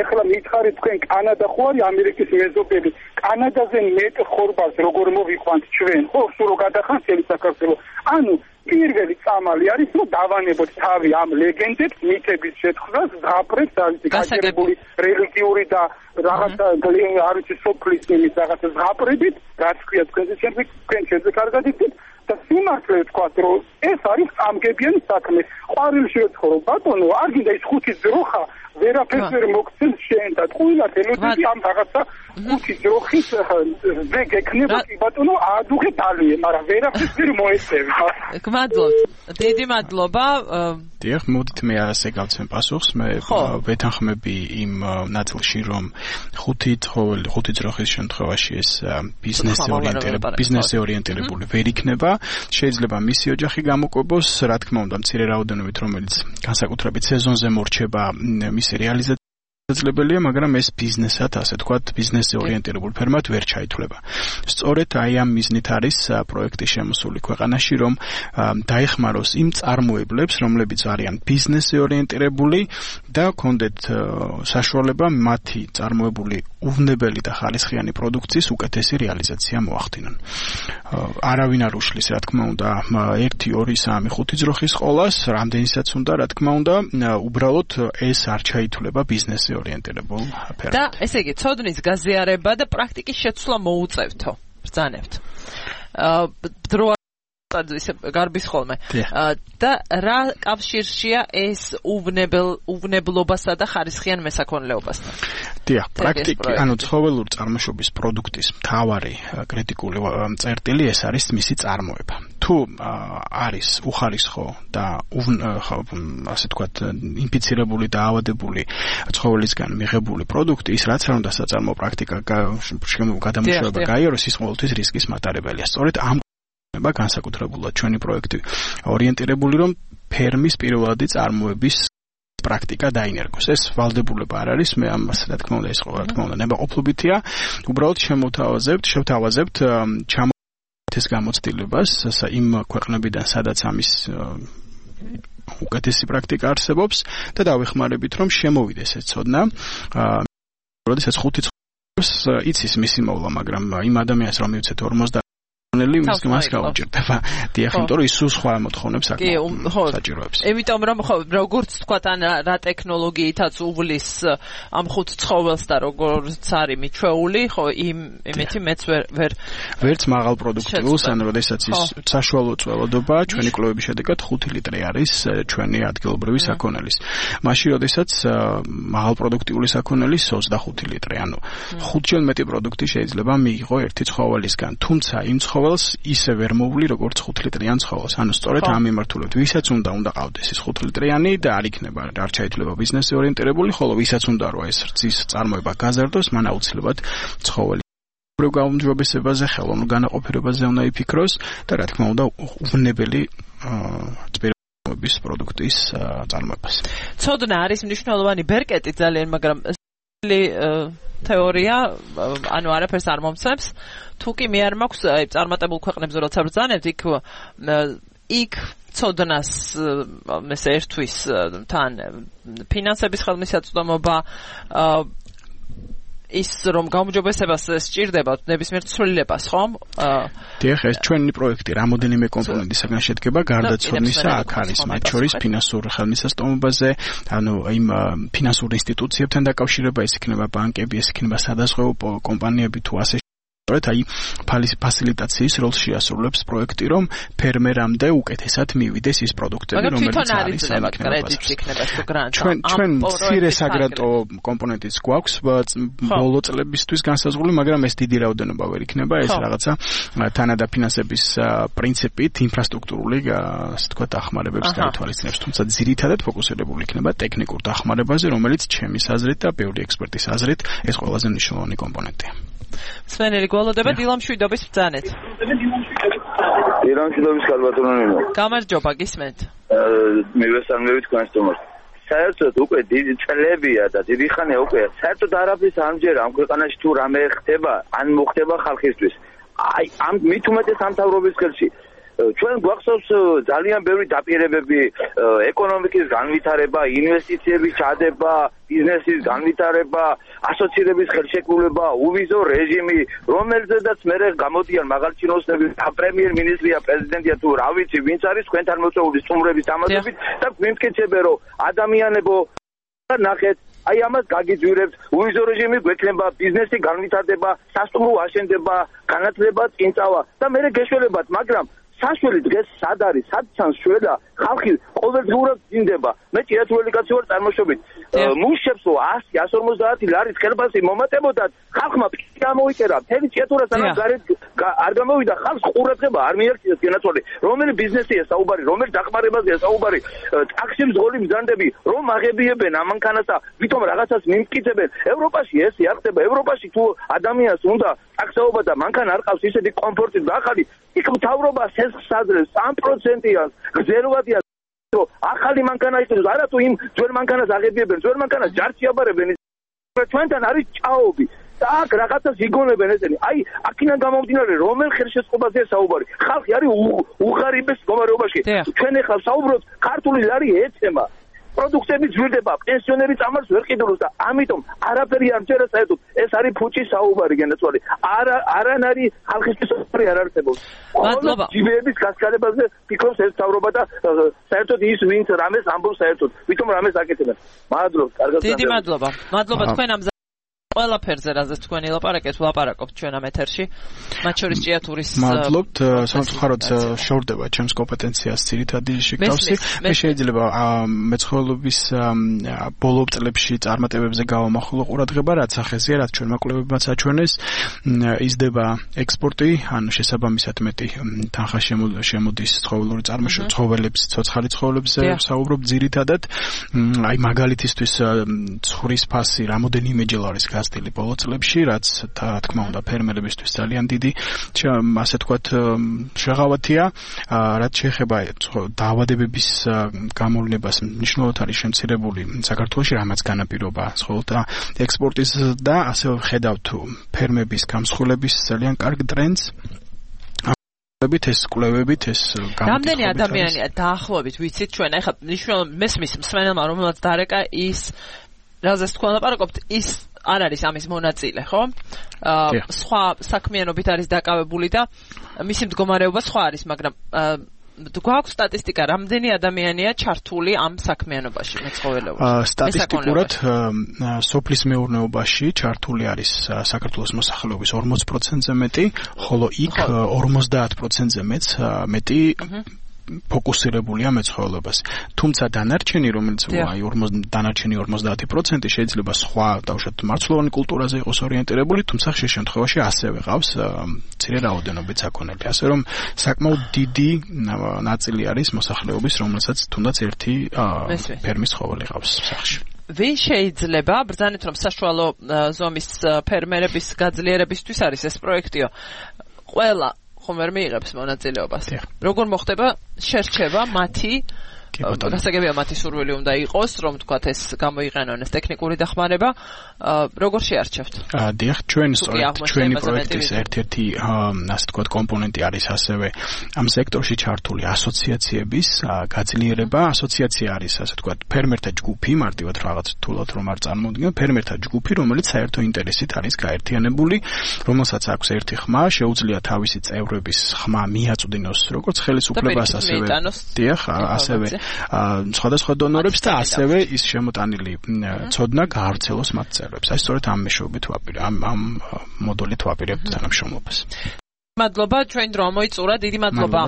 ეხლა მითხარით თქვენ კანადა ხო არის ამერიკის მეზობელი, კანადაზე მეტ ხორბალს როგორ მოვიყვანთ ჩვენ, ხო სულ რო გადახანს ელი საქართველოს. ანუ პირველი წამალი არის რომ დავანებოთ თავი ამ ლეგენდებს, მითების შეთხზას, ზღაპრებს, არის გაჩერებული რელიგიური და რაღაცა არ ვიცი სოფლის იმის რაღაცა ზღაპრებით, რაც ქვია თქვენზე ჩემზე კარგად იცით. და სიმართლე ვთქვათ, რომ ეს არის წამგებიანი საქმე. ყვარელში ვცხოვრობ, ბატონო, არ გინდა ის 5 ძროხა, ვერაფერს ვერ მოგცემს შენ და ტყუილად ელოდები ამ რაღაცა 5 ძროხის ზე გექნება კი ბატონო, აადუღე დალიე, მაგრამ ვერაფერს ვერ მოეწევი. გმადლობთ. დიდი მადლობა. დიახ, მოდით მე ასე გავცემ პასუხს. მე ვეთანხმები იმ ნაწილში, რომ 5 ძროხის შემთხვევაში ეს ბიზნესზე ორიენტირებული ვერ იქნება. შეიძლება მისი ოჯახი გამოკვებოს, რა თქმა უნდა, მცირე რაოდენობით, რომელიც განსაკუთრებით სეზონზე მორჩება, მისი რეალიზაცია შეძლებელია, მაგრამ ეს ბიზნესად, ასე თქვათ, ბიზნესზე ორიენტირებულ ფერმად ვერ ჩაითვლება. სწორედ აი ამ მიზნით არის პროექტი შემოსული ქვეყანაში, რომ დაეხმაროს იმ წარმოებლებს, რომლებიც არიან ბიზნესზე ორიენტირებული და ჰქონდეთ საშუალება მათი წარმოებული უვნებელი და ხალისხიანი პროდუქციის უკეთესი რეალიზაცია მოახდინონ. არავინ არ უშლის, რა თქმა უნდა, 1, 2, 3, 5 ძროხის ყოლას, რამდენისაც უნდა, რა თქმა უნდა, უბრალოდ ეს არ ჩაითვლება ბიზნესზე ორიენტირებულ ფერმად. და ესე იგი, ცოდნის გაზიარება და პრაქტიკის შეცვლა მოუწევთო. ბრძანებთ. დრო ისე გარბის ხოლმე. და რა კავშირშია ეს უვნებლობასა და ხარისხიან მესაქონლეობასთან? დიახ, პრაქტიკი, ანუ ცხოველური წარმოშობის პროდუქტის მთავარი კრიტიკული წერტილი ეს არის მისი წარმოება. თუ არის უხარისხო და ასე თქვათ ინფიცირებული და ავადებული ცხოველისგან მიღებული პროდუქტი, ის რაც არ უნდა საწარმო პრაქტიკა გადამუშავება გაიაროს, ის ყოველთვის რისკის მატარებელია. სწორედ ამ განსაკუთრებულად ჩვენი პროექტი ორიენტირებული, რომ ფერმის პირველადი წარმოების პრაქტიკა დაინერგოს. ეს ვალდებულება არ არის, მე ამას რა თქმა უნდა, ეს რა თქმა უნდა ნებაყოფლობითია. უბრალოდ შევთავაზებთ ეს გამოცდილებას იმ ქვეყნებიდან, სადაც ამის უკეთესი პრაქტიკა არსებობს და დავეხმარებით, რომ შემოვიდეს ეს ცოდნა. როდესაც 5 იცის მისი მოვლა, მაგრამ იმ ადამიანს რომ მივცეთ 50 მას გაუჭირდება. დიახ, იმიტომ რომ ის სულ სხვა მოთხოვნებს საჭიროებს. იმიტომ რომ ხო როგორც თქვა თან რა ტექნოლოგიითაც უვლის ამ ხუთ ცხოველს და როგორც არის მიჩვეული, ხო იმეთი მეც ვერც მაღალ პროდუქტიულს, ან როდესაც ის საშუალო წველოდობა ჩვენი კვლევების შედეგად 5 ლიტრი არის ჩვენი ადგილობრივი საქონელის. მაშინ როდესაც მაღალ პროდუქტიული საქონელის 25 ლიტრი, ანუ 5-ჯერ მეტი პროდუქტი შეიძლება მიიღო ერთი ცხოველისგან, თუმცა იმ ცხოველს ისე ვერ მოვლი როგორც 5 ლიტრიან ცხოველს. ანუ სწორედ ამ მიმართულებით, ვისაც უნდა ყავდეს ეს 5 litrიანი და არ იქნება არ შეიძლება ბიზნესზე ორიენტირებული, ხოლო ვისაც უნდა რომ ეს რძის წარმოება გაზარდოს, მან აუცილებლად ცხოველი გაუმჯობესებაზე, ხელოვნურ განაყოფიერებაზე უნდა იფიქროს და რა თქმა უნდა უვნებელი პროდუქტის წარმოებას. ცოდნა არის მნიშვნელოვანი ბერკეტი ძალიან, მაგრამ თეორია, ანუ არაფერს არ მომცემს. თუ კი მე არ მაქვს წარმატებულ ქვეყნებზე როცა ბრძანებთ, იქ ცოდნას ეს ერთვის თან ფინანსების ხელმისაწვდომობა ის რომ გაუმჯობესებას სჭირდება ნებისმიერ ცვლილებას, ხომ? დიახ, ეს ჩვენი პროექტი რამოდენიმე კომპონენტისგან შედგება, გარდა ცოდნისა, აქ არის მათ შორის ფინანსურ ხელმისაწვდომობაზე, ანუ იმ ფინანსურ ინსტიტუციებთან დაკავშირება, ეს იქნება ბანკები, ეს იქნება სადაზღვევო კომპანიები თუ ასე ფასილიტაციის როლს შეასრულებს პროექტი, რომ ფერმერამდე უკეთესად მივიდეს ის პროდუქტები, რომელიც არის ჩვენ მცირე საგრანტო კომპონენტიც გვაქვს ბოლო წლებისთვის განსაზღვრული, მაგრამ ეს დიდი რაოდენობა ვერ იქნება, ეს რაღაცა თანადაფინანსების პრინციპით ინფრასტრუქტურული, ასე ვთქვათ, დახმარებებს გაითვალისწინებს, თუმცა ძირითადად ფოკუსირებული იქნება ტექნიკურ დახმარებაზე, რომელიც ჩემის აზრით და ბევრი ექსპერტის აზრით ეს ყველაზე მნიშვნელოვანი კომპონენტია. სვენელი გველოდება დილამშვიდობის ბრძანეთ. დილამშვიდობის ქალბატონო. გამარჯობა, გისმენთ. მივესალმები თქვენს თომას. საერთოდ უკვე დიდი წლებია და დიდი ხანია უკვე საერთოდ არაფრის ამჯერა ამ ქვეყანაში თუ რამე ხდება, ან მოხდება ხალხისთვის. აი, ამ მით უმეტეს სამთავრობის ხელში. ჩვენ გვახსოვს ძალიან ბევრი დაპირებები, ეკონომიკის განვითარება, ინვესტიციების ჩადება, ბიზნესის განვითარება, ასოცირების ხელშეკრულება, უვიზო რეჟიმი, რომელზედაც მერე გამოდიან მაღალჩინოსნები, პრემიერ-მინისტრია, პრეზიდენტია თუ რა ვიცი, ვინც არის თქვენთან მოწვეული სტუმრების თამაშებით და გვიმტკიცებენ, რომ ადამიანებო ნახეთ, აი ამას გაგიძვირებთ, უვიზო რეჟიმი გვექნება, ბიზნესი განვითარდება, სასტუმრო აშენდება, განათლება წინწავა და მერე გეშველებათ, მაგრამ საშველი დღეს სად არის, სად ჩანს შველა, ხალხი ყოველდღურად ძინდება. მე ჭიათურელი კაცი ვარ წარმოშობით. მუშებს 100-150 ლარის ხელფასი მომატებოდათ, ხალხმა პიკი ამოიწერა. მთელი ჭიათურა სანამ გარეთ არ გამოვიდა, ხალხს ყურადღება არ მიაქციეს განაცვლი. რომელი ბიზნესია საუბარი, რომელი დახმარებაზეა საუბარი, ტაქსი მძღოლი მზანდები, რომ აღებიებენ ამანქანასა, ვითომ რაღაცას მიმტკიცებენ. ევროპაში ესე არ ხდება. ევროპაში თუ ადამიანს უნდა ტაქსაობა და მანქანა არ ყავს ისეთი კომფორტი და ახალი, იქ მთავრობა შესაძლებს 3%-იან გზელვადია ახალი მანქანა იყიდოს, არა თუ იმ ძველ მანქანას აღებიებენ, ძველ მანქანას ჯარში აბარებენ. ჩვენთან არის ჭაობი და აქ რაღაცას იგონებენ ესენი. აი, აქედან გამომდინარე, რომელ ხელშეწყობაზეა საუბარი. ხალხი არის უღარიბეს მდგომარეობაში. ჩვენ ახლა საუბრობთ, ქართული ლარი ეცემა. პროდუქტები ძვირდება, პენსიონერი წამალს ვერ ყიდულობს და ამიტომ არაფერი არ მჯერა საერთოდ. ეს არის ფუჭის საუბარი განაცვლი. არანარი ხალხისთვის საუბარი არ არსებობს. მადლობა. ჯიბეების გასკარებაზე ფიქრობს ეს თავრობა და საერთოდ ის ვინც რამეს ამბობს საერთოდ. ვითომ რამეს აკეთებენ. მადლობა, კარგად. დიდი მადლობა. მადლობა თქვენ ამ ყველაფერზე რაზეც თქვენი ლაპარაკეთ, ვლაპარაკობთ ჩვენ ამ ეთერში. მათ შორის ჭიათურის მადლობთ, სამწუხაროდ შორდება ჩემს კომპეტენციას ძირითადი შეკავსი. მე შეიძლება მეცხოველობის ბოლო წლებში წარმატებებზე გავამახვილო ყურადღება, რაც ახეზია, რაც ჩვენმა კვლევებმაც აჩვენეს, იზრდება ექსპორტი, ანუ შესაბამისად მეტი თანხა შემოდის ცხოველური ცხოველებს, ცოცხალი ცხოველებზე საუბრობ ძირითადად. აი მაგალითისთვის ცხრის ფასი რამოდენიმეჯერ არის გაზრდილი ბოლო წლებში, რაც რა თქმა უნდა ფერმერებისთვის ძალიან დიდი ასე ვთქვათ შეღავათია, რაც შეეხება დაავადებების გამოვლენებას მნიშვნელოვნად არის შემცირებული საქართველოში, რამაც განაპირობა ცხოველთა ექსპორტის და ასევე ხედავთ ფერმების გამსხვილების ძალიან კარგ ტრენდს. ეს კვლევებით ეს რამდენი ადამიანია დაახლოებით ვიცით ჩვენ ახლა მნიშვნელოვნად მესმის მსმენელმა რომელსაც დარეკა ის რაზეც თქვენ ლაპარაკობთ ის არ არის ამის მონაწილე, ხო? სხვა საქმიანობით არის დაკავებული და მისი მდგომარეობა სხვა არის, მაგრამ გვაქვს სტატისტიკა, რამდენი ადამიანია czartuli ამ საქმიანობაში, მეცხოველეობაში? სტატისტიკურად სოფლის მეურნეობაში czartuli არის საქართველოს მოსახლეობის 40%-ზე მეტი, ხოლო იქ 50%-ზე მეტი ფოკუსირებულია მეცხოველებას. თუმცა დანარჩენი, რომელიც დანარჩენი 50% შეიძლება სხვა დავუშვათ მარცვლოვანი კულტურაზე იყოს ორიენტირებული, თუმცა ხშირ შემთხვევაში ასევე ყავს მცირე რაოდენობით საქონელი. ასე რომ საკმაოდ დიდი ნაწილი არის მოსახლეობის, რომელსაც თუნდაც ერთი ფერმის ცხოველი ყავს სახლში. ვინ შეიძლება ბრძანეთ, რომ საშუალო ზომის ფერმერების გაძლიერებისთვის არის ეს პროექტიო? ყველა ხომ ვერ მიიღებს მონაწილეობას. როგორ მოხდება შერჩევა მათი? გასაგებია მათი სურვილი უნდა იყოს, რომ თქვათ ეს გამოიყენონ ეს ტექნიკური დახმარება, როგორ შეარჩევთ? დიახ, ჩვენი პროექტის ერთ-ერთი ასე თქვათ კომპონენტი არის ასევე ამ სექტორში ჩართული ასოციაციების გაძლიერება. ასოციაცია არის ასე თქვათ ფერმერთა ჯგუფი, მარტივად რაღაც თულად რომ არ წარმოუდგენ, ფერმერთა ჯგუფი, რომელიც საერთო ინტერესით არის გაერთიანებული, რომელსაც აქვს ერთი ხმა, შეუძლია თავისი წევრების ხმა მიაწვდინოს როგორც ხელისუფლებას, ასევე დიახ, ასევე სხვადასხვა დონორებს და ასევე ის შემოტანილი ცოდნა გაავრცელოს მათ წევრებს. აი სწორედ ამ მეშვეობით ამ მოდულით ვაპირებთ თანამშრომლობას. მადლობა, ჩვენ დრო მოიწურა, დიდი მადლობა.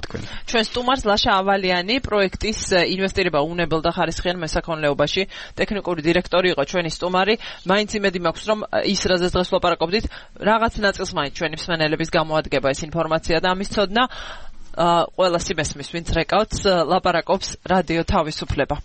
ჩვენ სტუმარს ლაშა ავალიანი, პროექტის ინვესტირება უნებელ და ხარისხიან მესაქონლეობაში ტექნიკური დირექტორი იყო ჩვენი სტუმარი. მაინც იმედი მაქვს, რომ ის რაზეც დღეს ვლაპარაკობდით, რაღაც ნაწილს მაინც ჩვენი მსმენელების გამოადგება ეს ინფორმაცია და ამის ცოდნა ყველა სიმესმის, ვინც რეკავთ, ლაპარაკობს რადიო თავისუფლება.